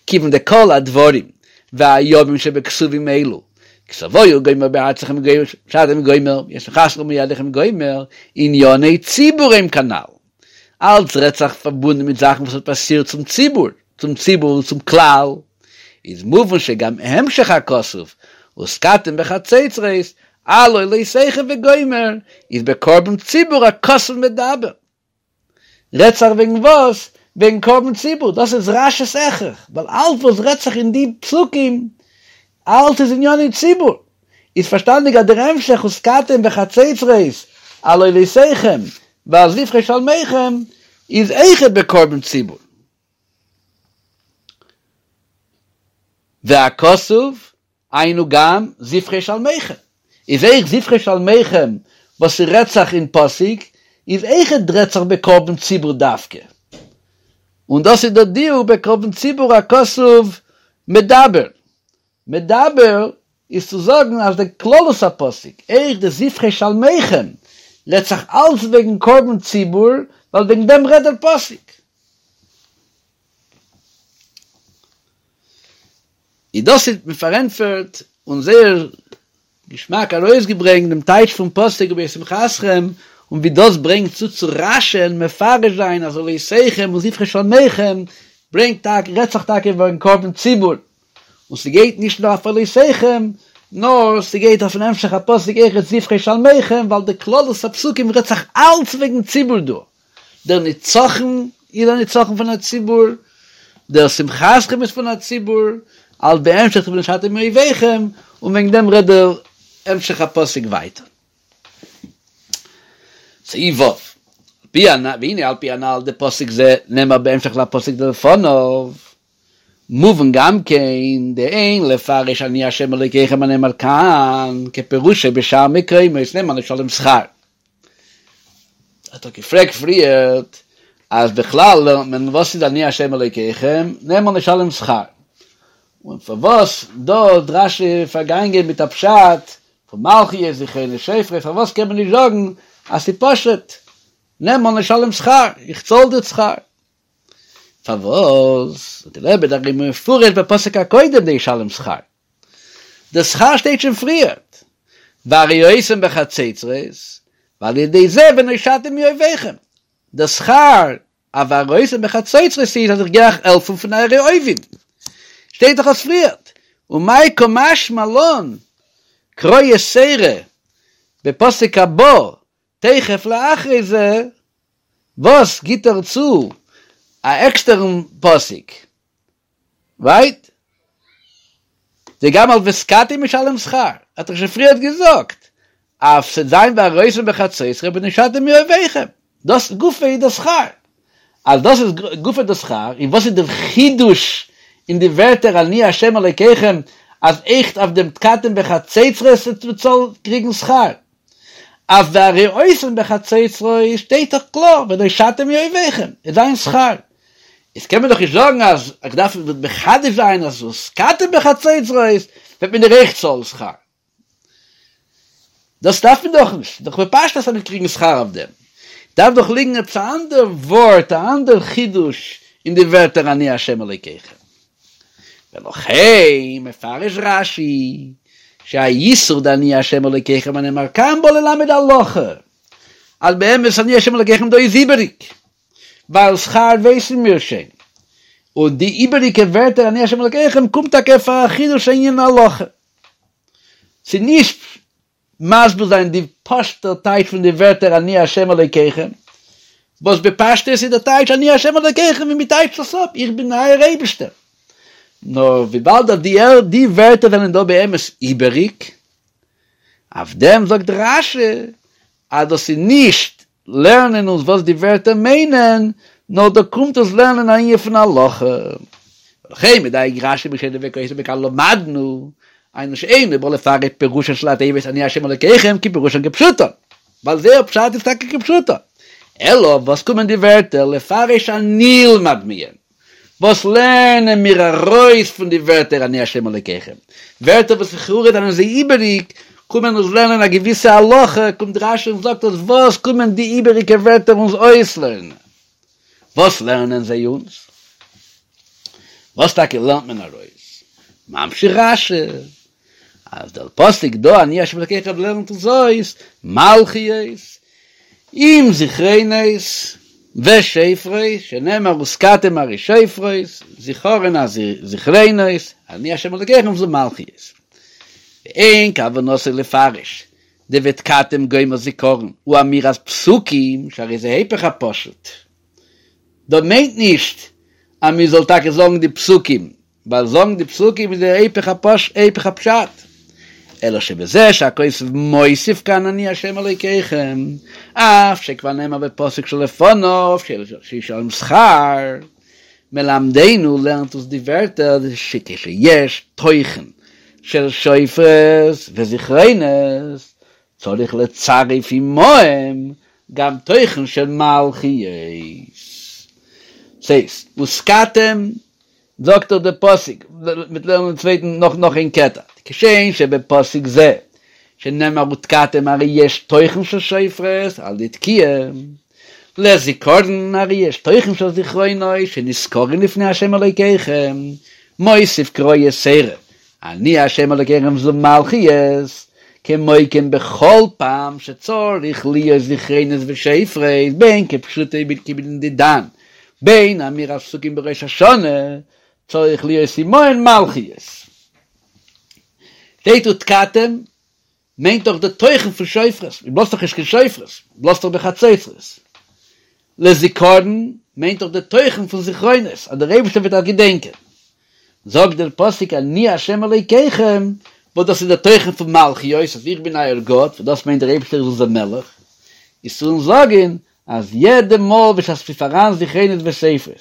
כיוון דכל הדברים והימים שבכתובים אלו, כי תבואו וגומר בארצכם ונושעתם וגומר, וביום שמחתכם ובמועדיכם וגומר, ענייני ציבור הם כנ"ל. אלץ רעדט זיך פארבונדן מיט זאכן וואס האט פאסירט צום ציבור, צום ציבור און צום כלל, איז מובן שגם המשך הכתוב ותקעתם בחצוצרות על עולותיכם וגומר איז בקרבן ציבור הכתוב מדבר. רעדט זיך וועגן וואס? וועגן קרבן ציבור, דאס איז רש"י'ס הכרח, ווייל אלץ וואס רעדט זיך אין די פסוקים, אלץ איז ענייני ציבור, איז פארשטאנדיג אז דער המשך ותקעתם בחצוצרות על עולותיכם ועל זבחי שלמיכם איז אויכעט בקרבן ציבור. והכתוב היינו גם זבחי שלמיכם, איז אויך זבחי שלמיכם וואס ס'רעדט זיך אין פסוק איז אויכעט רעדט זיך בקרבן ציבור דווקא, און דאס איז דער דיוק בקרבן ציבור הכתוב מדבר, מדבר איז צו זאגן אז די כללות הפסוק, אויך די זבחי שלמיכם, רעדט זיך אלץ וועגן קרבן ציבור, ווייל וועגן דעם רעדט דער פסוק. איז דאס איז מען פארענטפערט און זייער געשמאק ארויסגעברענגט דעם טייטש פון פסוק וביום שמחתכם, און ווי דאס ברענגט צו צו רש"י'ן מפרש זיין אז עולותיכם און זבחי שלמיכם ברענגט טאקע רעדט זיך טאקע וועגן קרבן ציבור, און ס'גייט נישט נאר אויף עולותיכם, נאר ס'גייט אויפן המשך הפסוק אויכעט זבחי שלמיכם, ווייל די כללות הפסוקים רעדט זיך אלץ וועגן ציבור דא. דער נצחון איז א נצחון פון א ציבור, דער שמחתכם איז פון א ציבור, אלץ בהמשך ונושעתם מאויביכם, און וועגן דעם רעדט דער המשך הפסוק ווייטער. סעיף ו', והנה על פי הנ"ל דפסוק זה נאמר בהמשך לפסוק דלפניו, מובן גם כן דאין לפרש אני ה' אלוקיכם הנאמר כאן כפירושו בשאר מקומות נאמן לשלם שכר. האט ער געפרעגט פריערט אז בכלל לערנט מען וואס איז אני ה' אלוקיכם נאמן לשלם שכר, און פארוואס דא האט רש"י פארגאנגען מיט א פשט פון מלכיות זכרונות שופרות, פארוואס קען מען נישט זאגן אז ס'איז פשוט נאמן לשלם שכר, איך צאל דיר שכר? פארוואס זאגט דער רבי דהרי מפורש בפסוק הקודם דישלם שכר, די שכר שטייט שוין פריערט, והרעותם בחצוצרות, ועל ידי זה ונושעתם מאויביכם, די שכר אויף והרעותם בחצוצרות איז אז איך גיי אייך העלפן פון אייערע אויבים, שטייט דאך עס פריערט, ומאי קא משמע לן קרא יתירא בפסוק הבא תיכף לאחרי זה, וואס גיט ער צו א עקסטערן פסוק, רייט? דגם על ותקעתם ישלם שכר, האט ער שוין פריערט געזאגט, אז ס'וועט זיין והרעותם בחצוצרות ונושעתם מאויביכם, דאס גופא איז דער שכר, אז דאס איז גופא דער שכר, און וואס איז דער חידוש אין די ווערטער אני ה' אלוקיכם אז אויכעט אויף דעם ותקעתם בחצוצרות מ'זאל קריגן שכר? אויף והרעותם בחצוצרות שטייט דאך קלאר ונושעתם מאויביכם איז זיין שכר, איז קען מען דאך נישט זאגן אז איך דארף מחדש זיין אז ותקעתם בחצוצרות וועט מען דיר אויך צאלן שכר, דאס דארף מען דאך נישט, דאך בפשטות אז מ'וועט קריגן שכר אויף דעם, דארף דאך ליגן עפעס א אנדער ווארט א אנדער חידוש אין די ווערטער אני ה' אלוקיכם. ולכן מפרש רש"י שהאיסור דאני ה' אלוקיכם הנאמר כאן בא ללמד הלכה, אז באמת אני ה' אלוקיכם דא איז איבעריג, ווייל שכר ווייסן מיר שוין, און די איבעריגע ווערטער אני ה' אלוקיכם קומט טאקע פאר א חידוש ענין הלכה, ס'איז נישט. מסביר זיין די פשוט'ע טייטש פון די ווערטער אני ה' אלוקיכם, וואס בפשטות איז די טייטש אני ה' אלוקיכם ווי מען טייטשט עס אפ, איך בין אייער אייבישטער. נאר וויבאלד אז די די ווערטער זענען דא באמת איבעריג, אויף דעם זאגט רש"י אז דאס איז נישט לערנען אונז וואס די ווערטער מיינען, נאר דא קומט אונז לערנען א ענין פון הלכה. ולכן מדייק רש"י בשאינו כותב מכאן למדנו, היינו שאינו בא לפרש פירושן של התיבות אני ה' אלוקיכם כפירושן כפשוטן, ווייל זייער פשט איז טאקע כפשוטו, אלא וואס קומען די ווערטער לפרש הנלמד מהן, וואס לערנען מיר ארויס פון די ווערטער אני ה' אלוקיכם? ווערטער וואס לכאורה זענען זיי איבעריג, קומען אונז לערנען א געוויסע הלכה, קומט רש"י און זאגט אונז וואס קומען די איבעריגע ווערטער אונז אויסלערנען? וואס לערנען זיי אונז? וואס טאקע לערנט מען ארויס? ממשיך רש"י אז דער פסוק דא אני ה' אלוקיכם לערנט אונז אויס מלכיות עם זכרונות ושופרות שנאמר ותקעתם הרי שופרות זכרון הזכרונות אני ה' אלוקיכם זו מלכיות ואין כוונתו לפרש דותקעתם וגומר זכרון הוא אמירת פסוקים שהרי זה היפך הפשוט דא מיינט נישט אז מען זאל טאקע זאגן די פסוקים ווייל זאגן די פסוקים איז דער היפך היפך הפשט, אלא שבזה שהכותב מוסיף כאן אני ה' אלוקיכם, אף שכבר נאמר בפסוק שלפניו שישלם שכר, מלמדנו לערנט אונז די ווערטער שכשיש תוכן של שופרות וזכרונות צריך לצרף עמהם גם תוכן של מלכיות. ס'הייסט, ותקעתם זאגט דאך דער פסוק, מ'וועט לערנען דעם צווייטן נאך נאך איין קטע, כשם שבפסוק זה שנאמר ותקעתם הרי יש תוכן של שופרות על ידי תקיעה, לזכרון הרי יש תוכן של זכרונות שנזכרין לפני ה' אלוקיכם, מוסיף קרא יתירה, אני ה' אלוקיכם זו מלכיות, כמו כן בכל פעם שצריך להיות זכרונות ושופרות בין כפשוטו כבענין דידן בין אמירת פסוקים בראש השנה צריך להיות עמהן מלכיות. שטייט ותקעתם מיינט דאך די תוכן פון שופרות, מען בלאזט דאך נישט קיין שופרות, מען בלאזט דאך בחצוצרות. לזכרון מיינט דאך די תוכן פון זכרונות, אז דער אייבערשטער וועט אייך געדענקען. זאגט דער פסוק אני ה' אלוקיכם, וואס דאס איז דער תוכן פון מלכיות, אז איך בין אייער גאט, וואס דאס מיינט דער אייבערשטער איז אונזער מלך, איז צו אונז זאגן אז יעדע מאל בשעת ס'איז פאראן זכרונות ושופרות,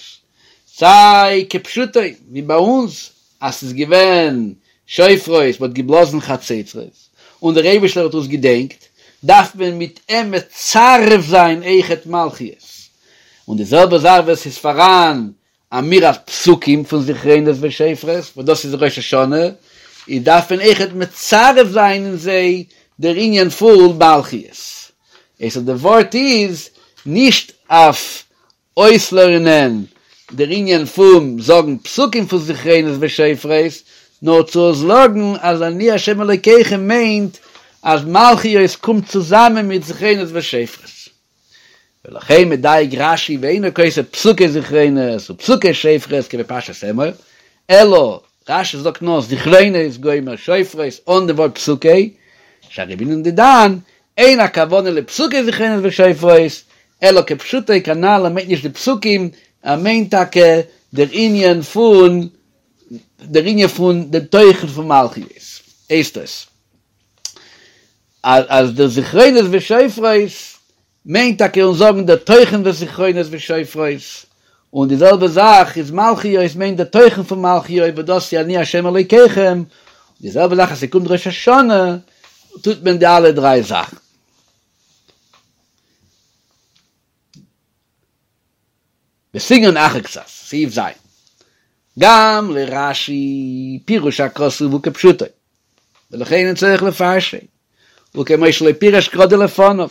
סיי כפשוטו ווי ביי אונז אז ס'איז געווען שופרות, מ'האט געבלאזן חצוצרות, און דער אייבערשטער האט אונז געדענקט, דארף מען מיט אים מצרף זיין אויכעט מלכיות. און די זעלבע זאך ווען ס'איז פאראן אמירת פסוקים פון זכרונות ושופרות, וואס דאס איז ראש השנה, איז דארף מען אויכעט מצרף זיין אין זיי דער ענין פון מלכיות. איז די ווארט איז נישט אויף אויסלערנען דער ענין פון זאגן פסוקים פון זכרונות ושופרות, נאר צו זאגן אז אני ה' אלוקיכם מיינט אז מלכיות קומט צוזאמען מיט זכרונות ושופרות. ולכן מדייק רש"י ואינו כותב פסוקי זכרונות ופסוקי שופרות כבפרשת אמור, אלא רש"י זאגט נאר זכרונות וגומר שופרות אן די ווארט פסוקי, שהרי בענין דידן אין הכוונה לפסוקי זכרונות ושופרות, אלא כפשוטו כנ"ל ער מיינט נישט די פסוקים, ער מיינט טאקע דער ענין פון דער ענין פון דעם תוכן פון מלכיות, הייסט עס. אז די זכרונות ושופרות מיינט טאקע אונז זאגן די תוכן פון זכרונות ושופרות, און די זעלבע זאך איז מלכיות מיינט די תוכן פון מלכיות וואס דאס איז אני השם אלוקיכם, די זעלבע זאך אז ס'קומט ראש השנה טוט מען די אלע דריי זאכן. בסגנון אחר קצת, סעיף ז', גם לרש"י פירוש הכתוב הוא כפשוטו, ולכן אין צריך לפרשו, וכמו שלא פירש קרא דלפניו,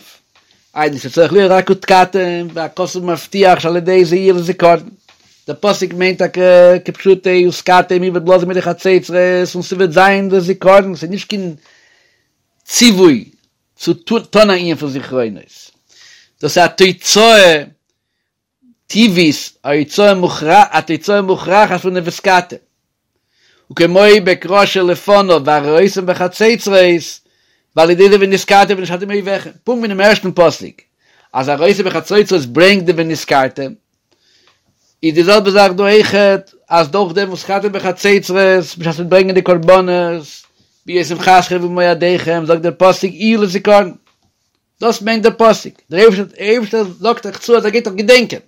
היינו שצריך להיות רק ותקעתם, והכתוב מבטיח שעל ידי זה יהיה לזכרון. דער פסוק מיינט טאקע כפשוטו ותקעתם איר וועט בלאזן מיט די חצוצרות און ס'וועט זיין לזכרון, ס'איז נישט קיין ציווי צו טון א ענין פון זכרונות, דאס איז א תוצאה טבעית, א תוצאה מוכרח, א תוצאה מוכרחת פון די ותקעתם. וכמו בקרא שלפניו והרעותם בחצוצרות, ועל ידי זה ונזכרתם ונשמרתם מאויביכם, פונקט ווי אינעם ערשטן פסוק אז הרעותה בחצוצרות ברענגט די ונזכרתם, איז די זעלבע זאך דא אויכעט, אז דורך דעם וואס ונזכרתם בחצוצרות בשעת מ'וועט ברענגען די קרבנות, ביום שמחתכם ובמועדיכם, זאגט דער פסוק יהיו לזכרון. דאס מיינט דער פסוק, דער אייבערשטער זאגט אייך צו אז ער גייט אייך געדענקען.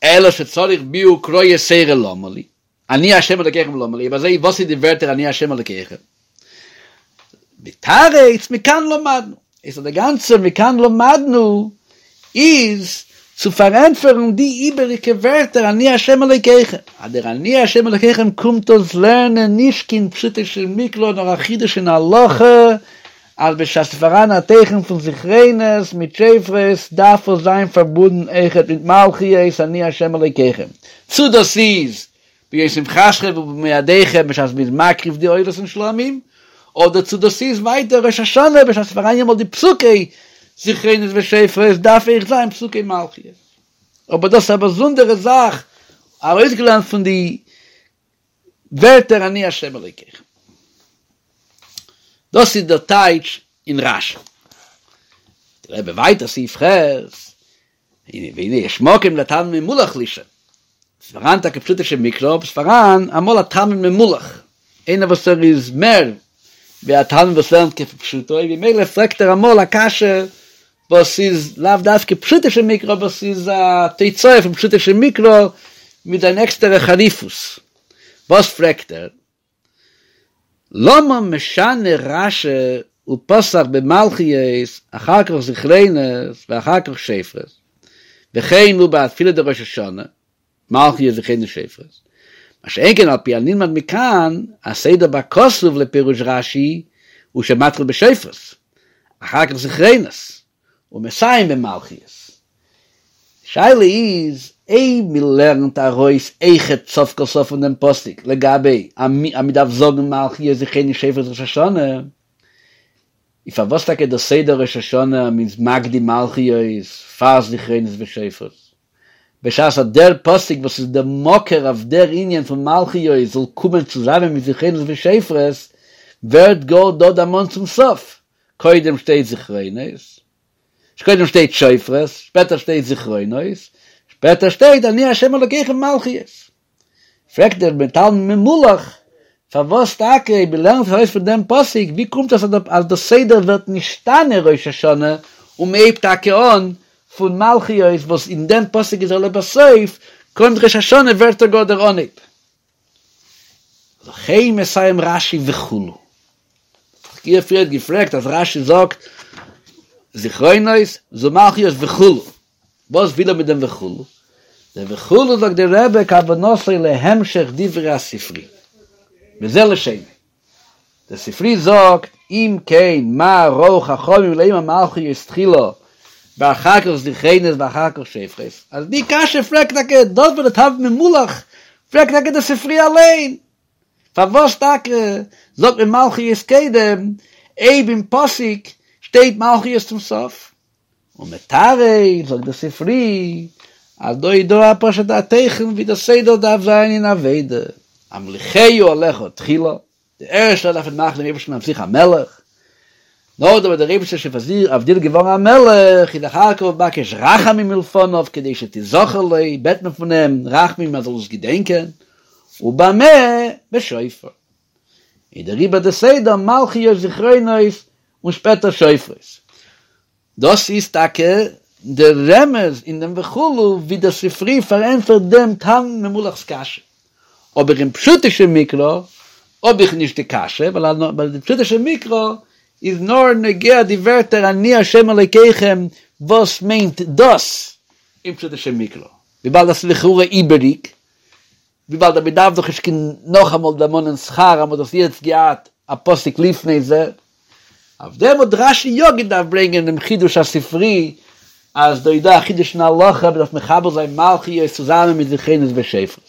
אלא שצריך ביאור קרא יתירא למה לי, אני ה' אלקיכם למה לי, אויב אזוי וואס איז די ווערטער אני ה' אלקיכם? מתרץ מכאן למדנו, איז דער גאנצער מכאן למדנו איז צו פארענטפערן די איבעריגע ווערטער אני ה' אלקיכם, אז דער אני ה' אלקיכם קומט אונז לערנען נישט קיין פשוטו של מקרא נאר א חידוש אין הלכה, אז בשעת ס'איז פאראן א תוכן פון זכרונות מיט שופרות דארף עס זיין פארבונדן אויכעט מיט מלכיות אני ה' אלקיכם, צו דאס איז ביום שמחתכם ובמועדיכם בשעת מ'איז מקריב די עולות און שלמים, אדער צו דאס איז ווייטער ראש השנה בשעת ס'איז פאראן יעמאלט די פסוקי זכרונות ושופרות דארף אויך זיין פסוקי מלכיות. אבער דאס איז א באזונדערע זאך ארויסגעלערנט פון די ווערטער אני ה' אלוקיכם. דאס איז דער טייטש אין רש"י. דער רבי ווייטער סעיף ח', והנה יש מקום לתלמיד ממולח לשאול. ס'איז פאראן טאקע פשוטו של מקרא, אבער ס'איז פאראן אמאל א תלמיד ממולח, איינער וואס ער איז מער ווי א תלמיד וואס לערנט כפשוטו, ממילא פרעגט ער אמאל א קשיא וואס איז לאו דווקא פשוטו של מקרא, אבער ס'איז א תוצאה פון פשוטו של מקרא מיט זיין עקסטערע חריפות. וואס פרעגט ער? למה משנה רש"י ופתח במלכיות אחר כך זכרונות ואחר כך שופרות, וכן הוא בתפילה דראש השנה, מלכיות זכרונות שופרות, מה שאין כן על פי הנלמד מכאן, הסדר בכתוב לפירוש רש"י הוא שמתחיל בשופרות, אחר כך זכרונות, ומסיים במלכיות. די שאלה איז אויב מ'לערנט ארויס אויכעט סוף כל סוף פון דעם פסוק לגבי אז מ'דארף זאגן מלכיות זכרונות שופרות ראש השנה, איז פארוואס טאקע דער סדר ראש השנה אז מ'איז מקדים מלכיות פאר זכרונות ושופרות? בשעת אז דער פסוק וואס איז דער מקור אויף דער ענין פון מלכיות זאל קומען צוזאמען מיט זכרונות ושופרות, ווערט גאר דא דערמאנט צום סוף, קודם שטייט זכרונות, קודם שטייט שופרות, שפעטער שטייט זכרונות, שפעטער שטייט אני ה' אלוקיכם מלכיות. פרעגט דער תלמיד ממולח, פארוואס טאקע אויב מען לערנט ארויס פון דעם פסוק, ווי קומט עס אז דער סדר ווערט נשתנה ראש השנה און מען הייבט טאקע אן פון מלכיות וואס אין דעם פסוק איז ער לבסוף, קומט ראש השנה ווערט ער גאר דער אנהייב. לכן מסיים רש"י וכו'. איך פריער געפרעגט אז רש"י זאגט זכרונות זו מלכיות וכו'. וואס וויל ער מיט דעם וכו'? דער וכו' זאגט דער רבי כוונתו להמשך דברי הספרי. וזה לשונו. דער ספרי זאגט אם כן מה ראו חכמים לומר מלכיות תחילה ואחר כך זכרונות ואחר כך שופרות, אז די קשיא פרעגט טאקע דאס וואס דער תלמיד ממולח פרעגט טאקע דער ספרי אליין, פארוואס טאקע זאגט מען מלכיות קודם אויב אין פסוק שטייט מלכיות צום סוף? ומתרץ זאגט דער ספרי אז דא איז דא א פשוט א תוכן ווי דער סדר דארף זיין אין עבודה, המוליכהו עליך תחילה, די ערשטע דארף מען מאכן דעם אייבערשטן אויף זיך א מלך, נאכדעם וואס דער אייבערשטער איז שוין פאר זיך אויף דיר געווארן א מלך, איז אחר כך מבקש רחמים מלפניו כדי שתזכר לו, בעט מען פון אים רחמים ער זאל עס געדענקען, ובמה? בשופר. איז דעריבער די סדר מלכיות זכרונות און שפעטער שופרות. דאס איז טאקע דער רמז אין דעם וכו' ווי דער ספרי פארענטפערט דעם תלמיד ממולח'ס קשיא. אבער אין פשוטו של מקרא האב איך נישט די קשיא, ווייל די פשוטו של מקרא איז נאר נוגע די ווערטער אני ה' אלוקיכם וואס מיינט דאס אין פשוטו של מקרא, וויבאלד דאס איז לכאורה איבעריג, וויבאלד אז מען דארף דאך נישט קיין נאכאמאל דערמאנען שכר אז מען האט דאס יעצט געהאט א פסוק לפני זה, אויף דעם האט רש"י יא געדארפט ברענגען דעם חידוש הספרי אז דא איז דא א חידוש אין הלכה מען דארף מחבר זיין מלכיות צוזאמען מיט זכרונות ושופרות.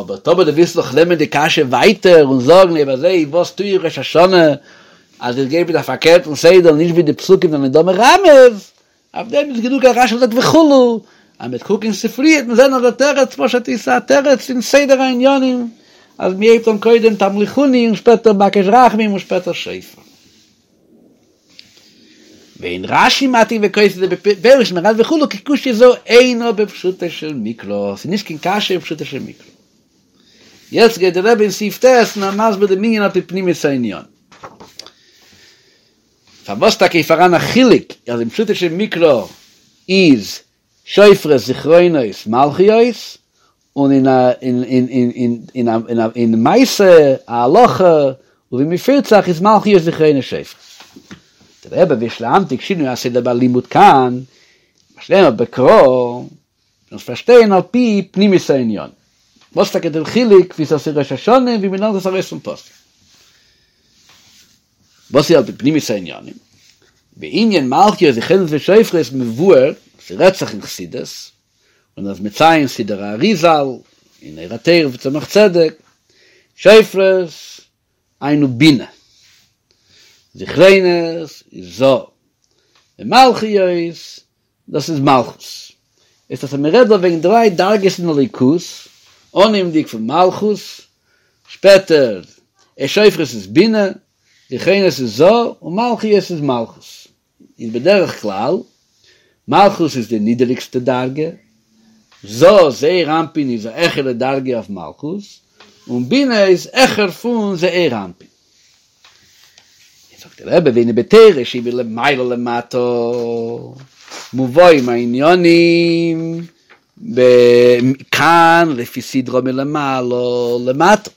אבער טאמער דו ווילסט נאך נעמען די קשיא ווייטער און זאגן אויב אזוי וואס טו איך ראש השנה אז איך גיי מיט א פארקערטן סדר נישט ווי די פסוקים זענען דא מרמז, אויף דעם איז גענוג אז רש"י זאגט וכו', אז מ'וועט קוקן אין ספרי וועט מען זען אז דער תירוץ פשוט איז א תירוץ אין סדר העניינים, אז מ'הייבט אן קודם תמליכוני און שפעטער בקש רחמים און שפעטער שופר. ואין רש"י מעתיק וכותב זה בפירוש מרד וכו' כי קושיא זו אינה בפשוטו של מקרא, ס'איז נישט קיין קשיא אין פשוטו של מקרא. יעצט גייט דער רבי אין סעיף ט' און ער מסביר דעם ענין על פי פנימיות העניין. פארוואס טאקע איז פאראן א חילוק אז אין פשוטו של מקרא איז שופרות זכרונות מלכיות און אין א אין אין אין אין אין אין אין מעשה ההלכה ווי מען פירט זיך איז מלכיות זכרונות שופרות. דער רבי ויש להמתיק שינוי הסדר בלימוד כאן, מה שנאמר בקרא, אונז פארשטייען על פי פנימיות העניין. וואס טאקע דער חילוק ווי ס'איז ראש השנה און ווי מ'לערנט עס ארויס פון פסוק. וואס איז על פי פנימיות העניינים? בענין מלכיות זכרונות ושופרות מבואר, ס'רעדט זיך אין חסידות, און איז מציין סידור האריזל, אין אור התורה וצמח צדק, שופרות היינו בינה, זכרונות איז ז"א, און מלכיות דאס איז מלכות. איז אז מען רעדט דא וועגן דריי דרגות אין אלוקות, אנהייבנדיג פון מלכות, שפעטער שופרות איז בינה, זכרונות איז ז"א, און מלכיות איז מלכות. איז בדרך כלל, מלכות איז די נידעריגסטע דרגה, ז"א זעיר אנפין איז א העכערע דרגה אויף מלכות, און בינה איז העכער פון זעיר אנפין. זאגט דער רבי והנה בתורה שהיא מלמעלה למטה מובאים העניינים כאן לפי סדרה מלמעלה למטה,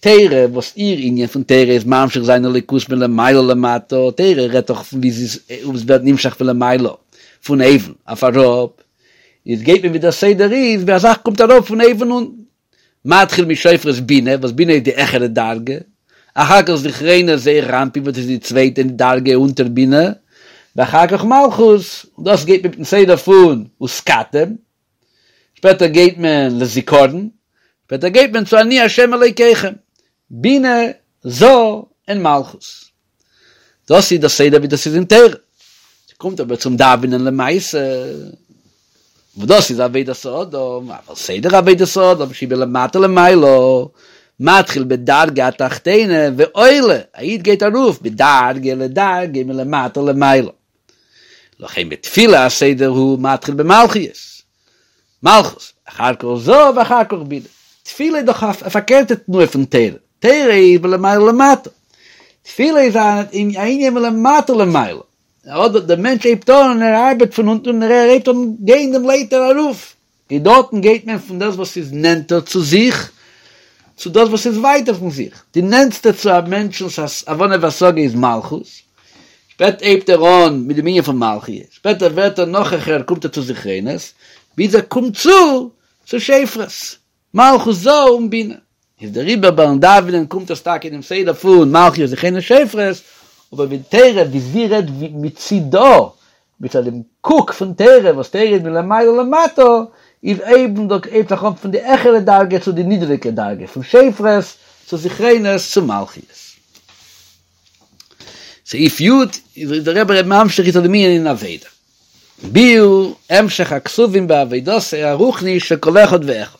תורה וואס איר ענין פון תורה איז ממשיך זיין אלוקות מלמעלה למטה, תורה רעדט דאך פון ווי זי איז ווערט נמשך פון למעלה פון אויבן אויף אראפ, איז גייט מען ווי דער סדר איז ווי א זאך קומט אראפ פון אויבן אונטן. מתחיל משופרות בינה, וואס בינה איז די העכערע דרגה, אחר כך זכרונות זעיר אנפין וואס איז די צווייטע דרגה אונטער בינה, ואחר כך מלכות, און דאס גייט מיטן סדר פון ותקעתם, שפעטער גייט מען לזיכרון, שפעטער גייט מען צו אני ה' אלוקיכם, בינה, ז"א, און מלכות. דאס איז דער סדר ווי דאס איז אין תורה. ס'קומט אבער צום דאווענען למעשה, וואס דאס איז עבודת האדם, אבל סדר עבודת האדם שהיא מלמטה למעלה, מתחיל בדרגה התחתונה ועולה, א איד גייט ארויף מדרגה לדרגה מלמטה למעלה. לכן בתפילה הסדר הוא מתחיל במלכיות, מלכות, אחר כך ז"א ואחר כך בינה. תפילה איז דאך א פארקערטע תנועה פון תורה, תורה איז מלמעלה למטה, תפילה איז א ענין מלמטה למעלה, אדער דער מענטש הייבט אן און ער ארבעט פון אונטן און ער הייבט אן גיין דעם לייטער ארויף, און דארטן גייט מען פון דאס וואס איז נענטער צו זיך, צו דאס וואס איז ווייטער פון זיך. די נענטסטע צו א מענטשנ'ס הבנה והשגה איז מלכות, שפעטער הייבט ער אן מיט דעם ענין פון מלכיות, שפעטער ווערט ער נאך העכער קומט ער צו זכרונות, ביז ער קומט צו צו שופרות, מלכות ז"א און בינה. איז דעריבער ביים דאווענען קומט עס טאקע אינעם סדר פון מלכיות זכרונות שופרות, אבער ווי תורה ווי זי רעדט מצידה, מצד דעם קוק פון תורה וואס תורה איז מלמעלה למטה, איז אויבן דא הייבט זיך אן פון די העכערע דרגה צו די נידעריגע דרגה, פון שופרות צו זכרונות צו מלכיות. סעיף י' איז דער רבי ממשיך איצטער דעם ענין אין עבודה. ביאור המשך הכתובים בעבודתו הרוחנית של כל אחד ואחד.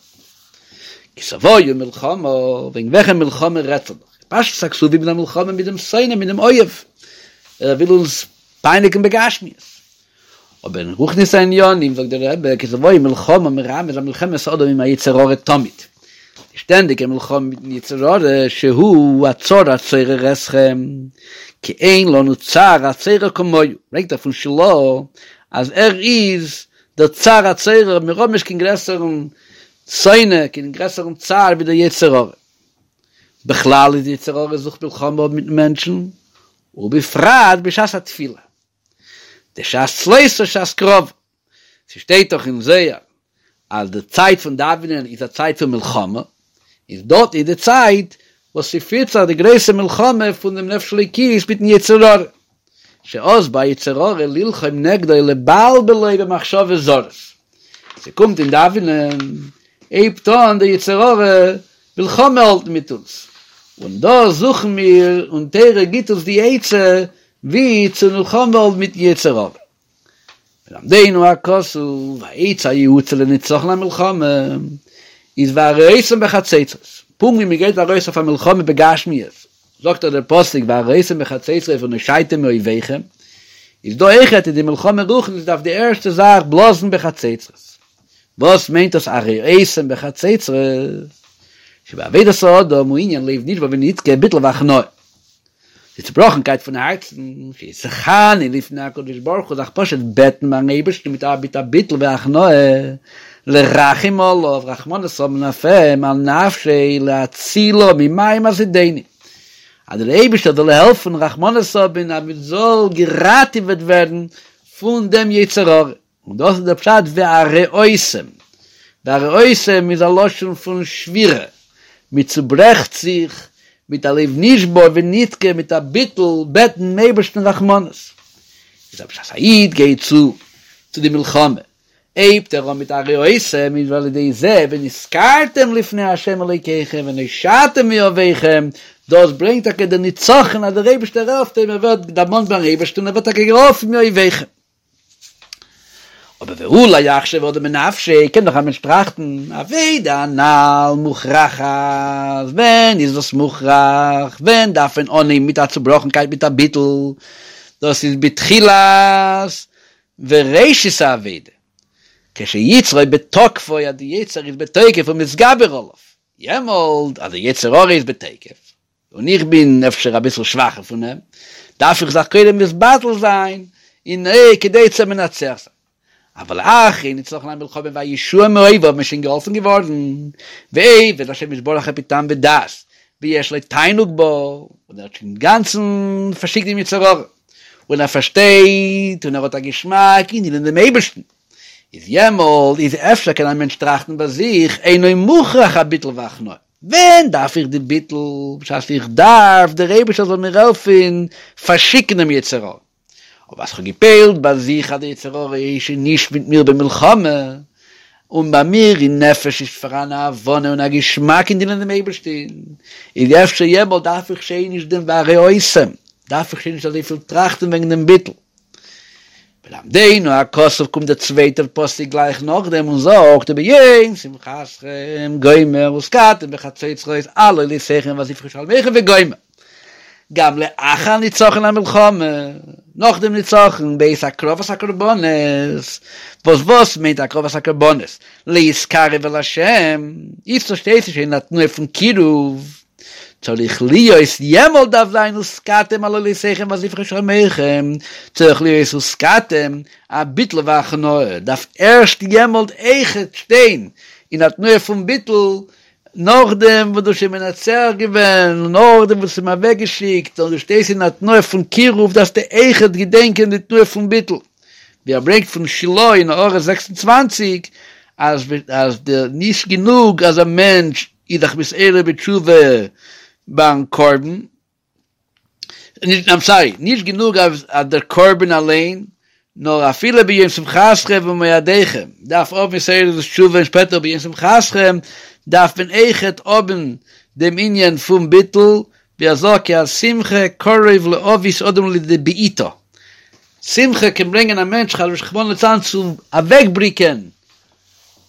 כי תבואו מלחמה, וועגן וועלכע מלחמה רעדט זיך דא? פשטות הכתובים איז א מלחמה מיט דעם שונא, מיט דעם אויב, ער וויל אונז פייניגן בגשמיות. אבער אין רוחניות העניינים זאגט דער רבי כי תבואו מלחמה מרמז על מלחמת האדם עם היצר הרע תמיד, די שטענדיגע מלחמה מיטן יצר הרע שהוא הצר הצורר אתכם, כי אין לנו צר הצורר כמוהו, ברענגט ער פון של"ה אז ער איז דער צר הצורר, מיר האבן נישט קיין גרעסערן שונא, קיין גרעסערן צר ווי דער יצר הרע. בכלל איז די יצר הרע זוכט מלחמה האבן מיטן מענטשן, ובפרט בשעת התפילה. דשעת צלותא שעת קרבא. ס'שטייט דאך אין זוהר אז די צייט פון דאווענען איז א צייט פון מלחמה, איז דארט איז די צייט וואס ס'פירט זיך די גרויסע מלחמה פון דעם נפש אלוקית מיטן יצר הרע, שאז בא יצר הרע ללחום נגדו לבלבלו במחשבות זרות. ס'קומט אין דאווענען, הייבט אן דער יצר הרע מלחמה האלטן מיט אונז, און דא זוכן מיר און תורה גיט אונז די עצה ווי צו מלחמה האלטן מיטן יצר הרע. מלמדנו הכתוב, העצה היעוצה לנצחון המלחמה איז והרעותם בחצוצרות, פונקט ווי מען גייט ארויס אויף א מלחמה בגשמיות, זאגט דאך דער פסוק והרעותם בחצוצרות ונושעתם מאויביכם, איז דא אויכעט אין די מלחמה רוחנית דארף די ערשטע זאך בלאזן בחצוצרות. וואס מיינט דאס הרעותם בחצוצרות? שבעבודת האדם הוא ענין לב נשבר ונדכה ביטול והכנעה. די צובראכנקייט פון הארצן, שיתחנן לפני הקדוש ברוך הוא זיך פשוט בעטן ביים אייבערשטן מיט א מיט א ביטול והכנעה, לרחם עליו, רחמנות האבן אויף אים, על נפשו, להצילו ממים הזדונים. אז דער אייבערשטער זאל העלפן רחמנות האבן אז מען זאל געראטעוועט ווערן פון דעם יצר הרע. און דאס איז דער פשט והרעותם, והרעותם איז א לשון פון שבירה, מען צוברעכט זיך מיט א לב נשבר ונדכה, מיט א ביטול, בעטן דעם אייבערשטן רחמנות. איז אבער בשעת א איד גייט צו צו די מלחמה, הייבט ער אן מיט הרעותם, איז ועל ידי זה ונזכרתם לפני ה' אלוקיכם ונושעתם מאויביכם, דאס ברענגט טאקע דער נצחון אז דער אייבערשטער העלפט אים, ער ווערט דערמאנט ביים אייבערשטן און ער ווערט טאקע געהאלפן מאויביכם. אבער ואולי יחשוב אדם בנפשו, קען דאך א מענטש טראכטן, עבודה הנ"ל מוכרחת, ווען איז דאס מוכרח, ווען דארף מען אנהייבן מיט א צובראכנקייט מיט א ביטול, דאס איז בתחילת וראשית העבודה, כשיצרו בתוקפו, אז די יצר איז בתוקף ומתגבר עליו, יעמאלט אז די יצר הרע איז בתוקף, און איך בין אפשר אביסל שוואכער פון אים, דארף איך זיך קודם מתבטל זיין און כדי צו מנצח זיין. אבל אחרי נצחון המלחמה והישועה מאויביו מ'איז שוין געהאלפן געווארן, ועובד השם יתברך על פי טעם ודעת, ויש לו תענוג בו, און ער האט שוין אינגאנצן פארשיקט דעם יצר הרע, און ער פארשטייט און ער האט א געשמאק אין דינען דעם אייבערשטן, איז יעמאלט איז אפשר קען א מענטש טראכטן ביי זיך, אינו מוכרח הביטול והכנעה. ווען דארף איך די ביטול? בשעת איך דארף דער אייבערשטער זאל מיר העלפן פארשיקן דעם יצר הרע. אבער אז כ'האב געפועלט ביי זיך אז דער יצר הרע איז שוין נישט מיט מיר במלחמה, און ביי מיר אין נפש איז פאראן א הבנה און א געשמאק אין דינען דעם אייבערשטן, איז אפשר יעמאלט דארף איך שוין נישט דעם והרעותם, דארף איך שוין נישט אזויפיל טראכטן וועגן דעם ביטול. מלמדנו הכתוב קומט דער צווייטער פסוק גלייך נאכדעם און זאגט וביום שמחתכם גומר ותקעתם בחצוצרות על עולותיכם ועל זבחי שלמיכם וגומר גם לאחר ניצחון המלחמה נאך דעם ניצחון בעת הקרבת הקרבנות וואס וואס מיינט הקרבת הקרבנות להתקרב אל השם איצטער שטייט שוין אין א תנועה פון קירוב צריך להיות, יעמאלט דארף זיין ותקעתם על עולותיכם ועל זבחי שלמיכם, צריך להיות ותקעתם, א ביטול והכנעה, דארף ערשט יעמאלט אויכעט שטיין אין א תנועה פון ביטול, נאכדעם וואס דו האסט שוין מנצח געווען, און נאכדעם וואס האסט אים אוועקגעשיקט, און דו שטייסט אין א תנועה פון קירוב, דארפסטו אויכעט געדענקען די תנועה פון ביטול. ווי ער ברענגט פון שיל"ה אין הערה 26, אז אז די נישט גענוג אז א מענטש איז זיך מתעורר בתשובה ביים קרבן, נישט, איים סארי, נישט גענוג אז דער קרבן אליין, נאר אפילו ביום שמחתכם ובמועדיכם דארף האבן התעוררות תשובה און שפעטער ביום שמחתכם דארף מען אויכעט האבן דעם ענין פון ביטול, ווי ער זאגט כי השמחה קרוב להביא אדם לידי בעיטה, שמחה קען ברענגען א מענטש רחמנא לצלן צו אוועקבריקען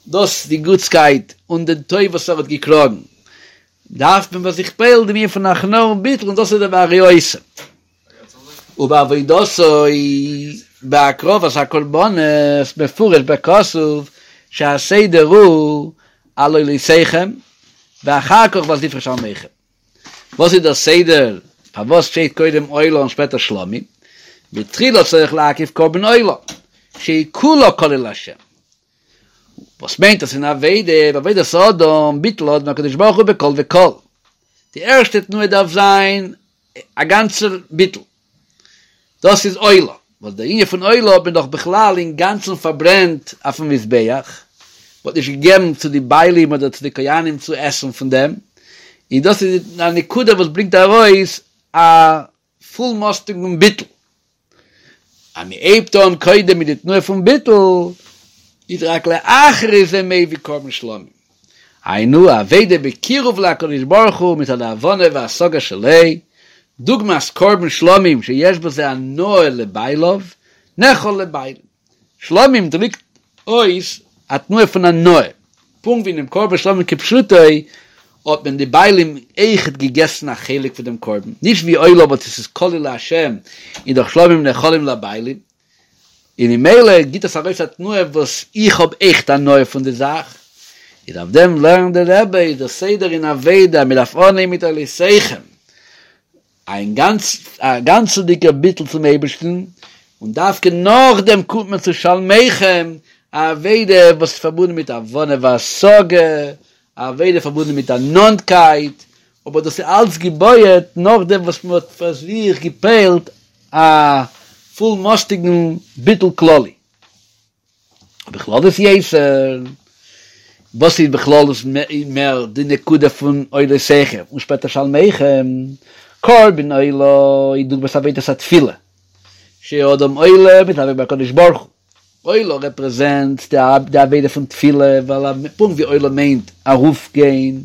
דאס די גוטסקייט און דעם טוב וואס ער האט געקראגן, דארף מען ביי זיך פועל'ן דעם ענין פון הכנעה און ביטול און דאס איז דער והרעותם. ובעבודתו בהקרבת הקרבנות מפורש בכתוב שהסדר הוא על עולותיכם ואחר כך ועל זבחי שלמיכם. וואס איז דער סדר פארוואס שטייט קודם עולה און שפעטער שלמים? בתחילה צריך להקריב קרבן עולה שהיא כולה כליל להשם. וואס מיינט דאס אין עבודה? בעבודת האדם ביטול האדם להקדוש ברוך הוא בכל וכל. די ערשטע תנועה דארף זיין א גאנצער ביטול. דאס איז עולה, וואס דער ענין פון עולה האט מען דאך בכלל אינגאנצן פארברענט אויפן מזבח, מ'האט נישט געגעבן צו די בעלים אדער צו די כהנים צו עסן פון דעם, און דאס איז א נקודה וואס ברענגט ארויס א פולמאסטיגן ביטול. אז מען הייבט אן קודם מיט די תנועה פון ביטול, איז רק לאחרי זה מביא קרבן שלמים. היינו, עבודה בקירוב להקדוש ברוך הוא מצד ההבנה וההשגה שלו, דוגמת קרבן שלמים שיש בזה הנאה לבעליו, נאכל לבעלים. שלמים דריקט אויס א תנועה פון הנאה, פונקט ווי אינעם קרבן שלמים כפשוטו. האט מען די בעלים אויכעט געגעסן א חלק פון דעם קרבן, נישט ווי עולה וואס עס איז כליל לה' איז דאך שלמים נאכלים לבעלים, און ממילא גיט עס ארויס א תנועה וואס איך האב עכט הנאה פון די זאך, איז אויף דעם לערנט דער רבי איז דער סדר אין עבודה, מען דארף אנהייבן מיט עולותיכם, א גאנץ א גאנצעדיגער ביטול צום אייבערשטן, און דווקא נאכדעם קומט מען צו שלמיכם, א עבודה וואס איז פארבונדן מיט הבנה והשגה, א עבודה פארבונדן מיט א נאנטקייט, אבער דאס איז אלץ געבויעט נאכדעם וואס מען האט פאר זיך געפועלט א פולמאסטיגן ביטול כללי. בכללות יותר, וואס איז בכללות מער די נקודה פון עולותיכם און שפעטער שלמיכם, קרבן עולה איז דוגמת עבודת התפילה, שאדם עולה ומתדבק בהקדוש ברוך הוא, עולה רעפרעזענט די עבודה פון תפילה, ווייל פונקט ווי עולה מיינט ארויפגיין,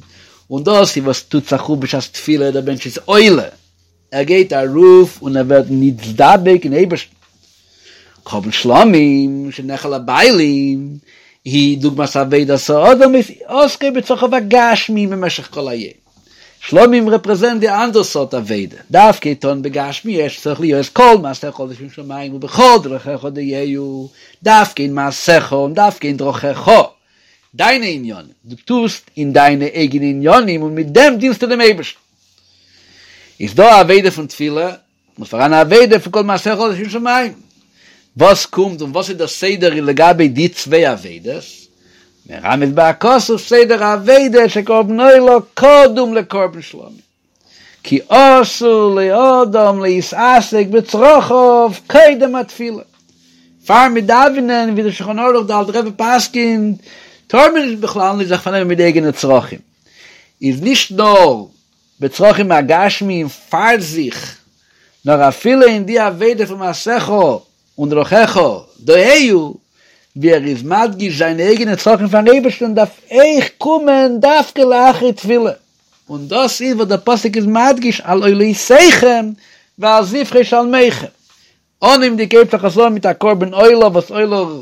און דאס איז וואס טוט זיך אויף בשעת תפילה, דער מענטש איז עולה, ער גייט ארויף און ער ווערט נתדבק אין אייבערשטן. קרבן שלמים שנאכל לבעלים היא דוגמת עבודת האדם עוסקו בצרכיו הגשמיים במשך כל היום. שלמים רעפרעזענט די אנדערע סארט עבודה, דווקא טון בגשמיות שצריך להיות כל מעשיך לשם שמים ובכל דרכיך דעהו, דווקא אין מעשיך און דווקא אין דרכיך, דיינע עניינים, דו טוסט אין דיינע אייגענע עניינים און מיט דעם דינסטו דעם אייבערשטן. איז דא א עבודה פון תפילה, און פאראן א עבודה פון כל מעשיך לשם שמים. וואס קומט און וואס איז דער סדר לגבי די צוויי עבודות? מרמז בה הכתוב סדר העבודה שקרבן עולה קודם לקרבן שלמים. כי אסור לאדם להתעסק בצרכיו קודם התפילה. פאר מיר דאווענען, ווי דער שולחן ערוך דער אלטער רבי פסק'נט, טאר מען נישט בכלל נישט זיך פארנעמען מיט די אייגענע צרכים. איז נישט נאר בצרכים הגשמיים פאר זיך, נאר אפילו אין די עבודה פון מעשיך און דרכיך דעהו, ווי ער איז מדגיש זיינע אייגענע צרכים פארן אייבערשטען דארף אויך קומען דווקא לאחרי תפילה, און דאס איז וואס דער פסוק איז מדגיש על עולותיכם ועל זבחי שלמיכם, אנהייבנדיג הייבט זיך עס אן מיט א קרבן עולה וואס עולה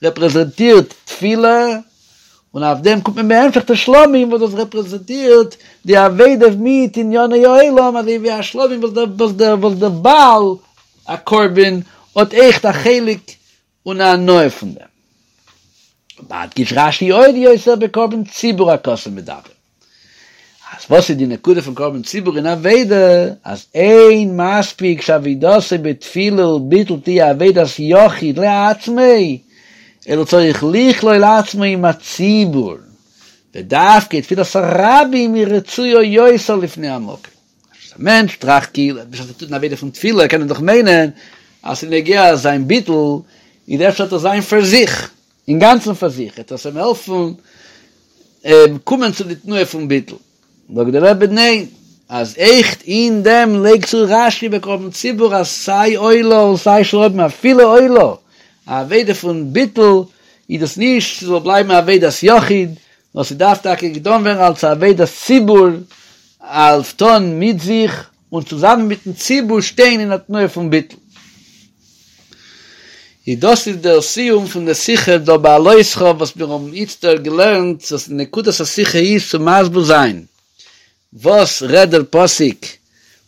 רעפרעזענטירט תפילה, און אויף דעם קומט מען בהמשך צו שלמים וואס דאס רעפרעזענטירט די עבודה מיט ענייני העולם אזוי ווי א שלמים וואס דער וואס דער וואס דער בעל הקרבן האט עכט א חלק און א הנאה פון דעם. מדגיש רש"י עוד יותר בקרבן ציבור הכתוב מדבר. אז וואס איז די נקודה פון קרבן ציבור אין עבודה, אז אין מספיק שעבודתו בתפילה וביטול תהיה עבודת יחיד לעצמו, אלא צריך לכלול עצמו עם הציבור, ודווקא תפילת הרבים היא רצויה יותר לפני המקום. אז א מענטש טראכט כאילו בשעת ער טוט אן עבודה פון תפילה קען ער דאך מיינען אז ס'איז נוגע זיין ביטול, איז אפשר וועט עס זיין פאר זיך, אינגאנצן פאר זיך, וועט עס אים העלפן קומען צו די תנועה פון ביטול. זאגט דער רבי ניין, אז עכט אין דעם לייגט צו רש"י בקרבן ציבור אז סיי עולה און סיי שלמים אפילו עולה, א עבודה פון ביטול איז דאס נישט ס'זאל בלייבן א עבודת יחיד, נאר ס'דארף טאקע געטון ווערן אלס א עבודת ציבור, אלס טון מיט זיך און צוזאמען מיטן ציבור שטיין אין א תנועה פון ביטול. איז דאס איז דער סיום פון די שיחה דא בהעלותך וואס מיר האבן איצטער געלערנט, וואס נקודת השיחה איז צו מסביר זיין וואס רעדט דער פסוק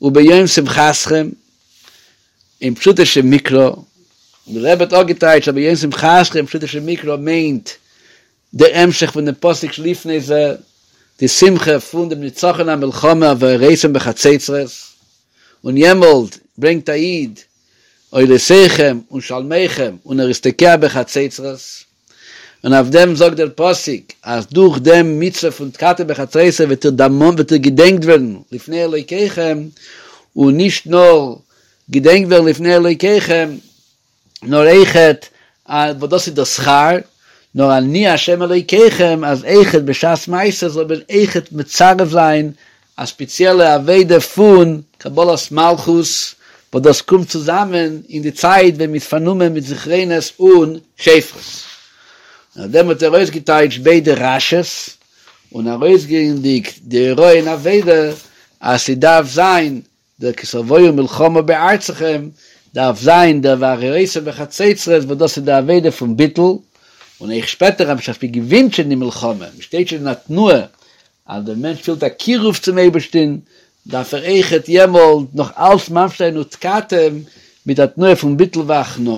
וביום שמחתכם אין פשוטו של מקרא, און דער רבי האט אפגעטייטשט אז ביום שמחתכם אין פשוטו של מקרא מיינט דער המשך פון דעם פסוק שלפני זה, די שמחה פון דעם נצחון המלחמה והרעותם בחצוצרות, און יעמאלט ברענגט א איד עולותיכם און שלמיכם און ער איז תוקע בחצוצרות, און אויף דעם זאגט דער פסוק אז דורך דעם מצוה פון תקעתם בחצוצרות וועט איר דערמאנט וועט איר געדענקט ווערן לפני אלוקיכם, און נישט נאר געדענקט ווערן לפני אלוקיכם, נאר אויכעט וואס דאס איז דער שכר, נאר אני ה' אלוקיכם, אז אויכעט בשעת מעשה זאל מען אויכעט מצרף זיין א ספעציעלע עבודה פון קבלת מלכות, וואס דאס קומט צוזאמען אין די צייט ווען מ'איז פארנומען מיט זכרונות און שופרות. און אויף דעם האט ער אויסגעטייטשט ביידע רש"י'ס, און ארויסגעבנדיג די הוראה אין עבודה אז ס'דארף זיין דער כי תבואו מלחמה בארצכם דארף זיין דער והרעותם בחצוצרות וואס דאס איז די עבודה פון ביטול, און אויך שפעטער אז בשעת מען געווינט שוין די מלחמה, מען שטייט שוין אין א תנועה. אז דער מענטש פילט א קירוב צום אייבערשטען, דארף ער אויכעט יעמאלט נאך אלץ ממשיך זיין ותקעתם מיט א תנועה פון ביטול והכנעה.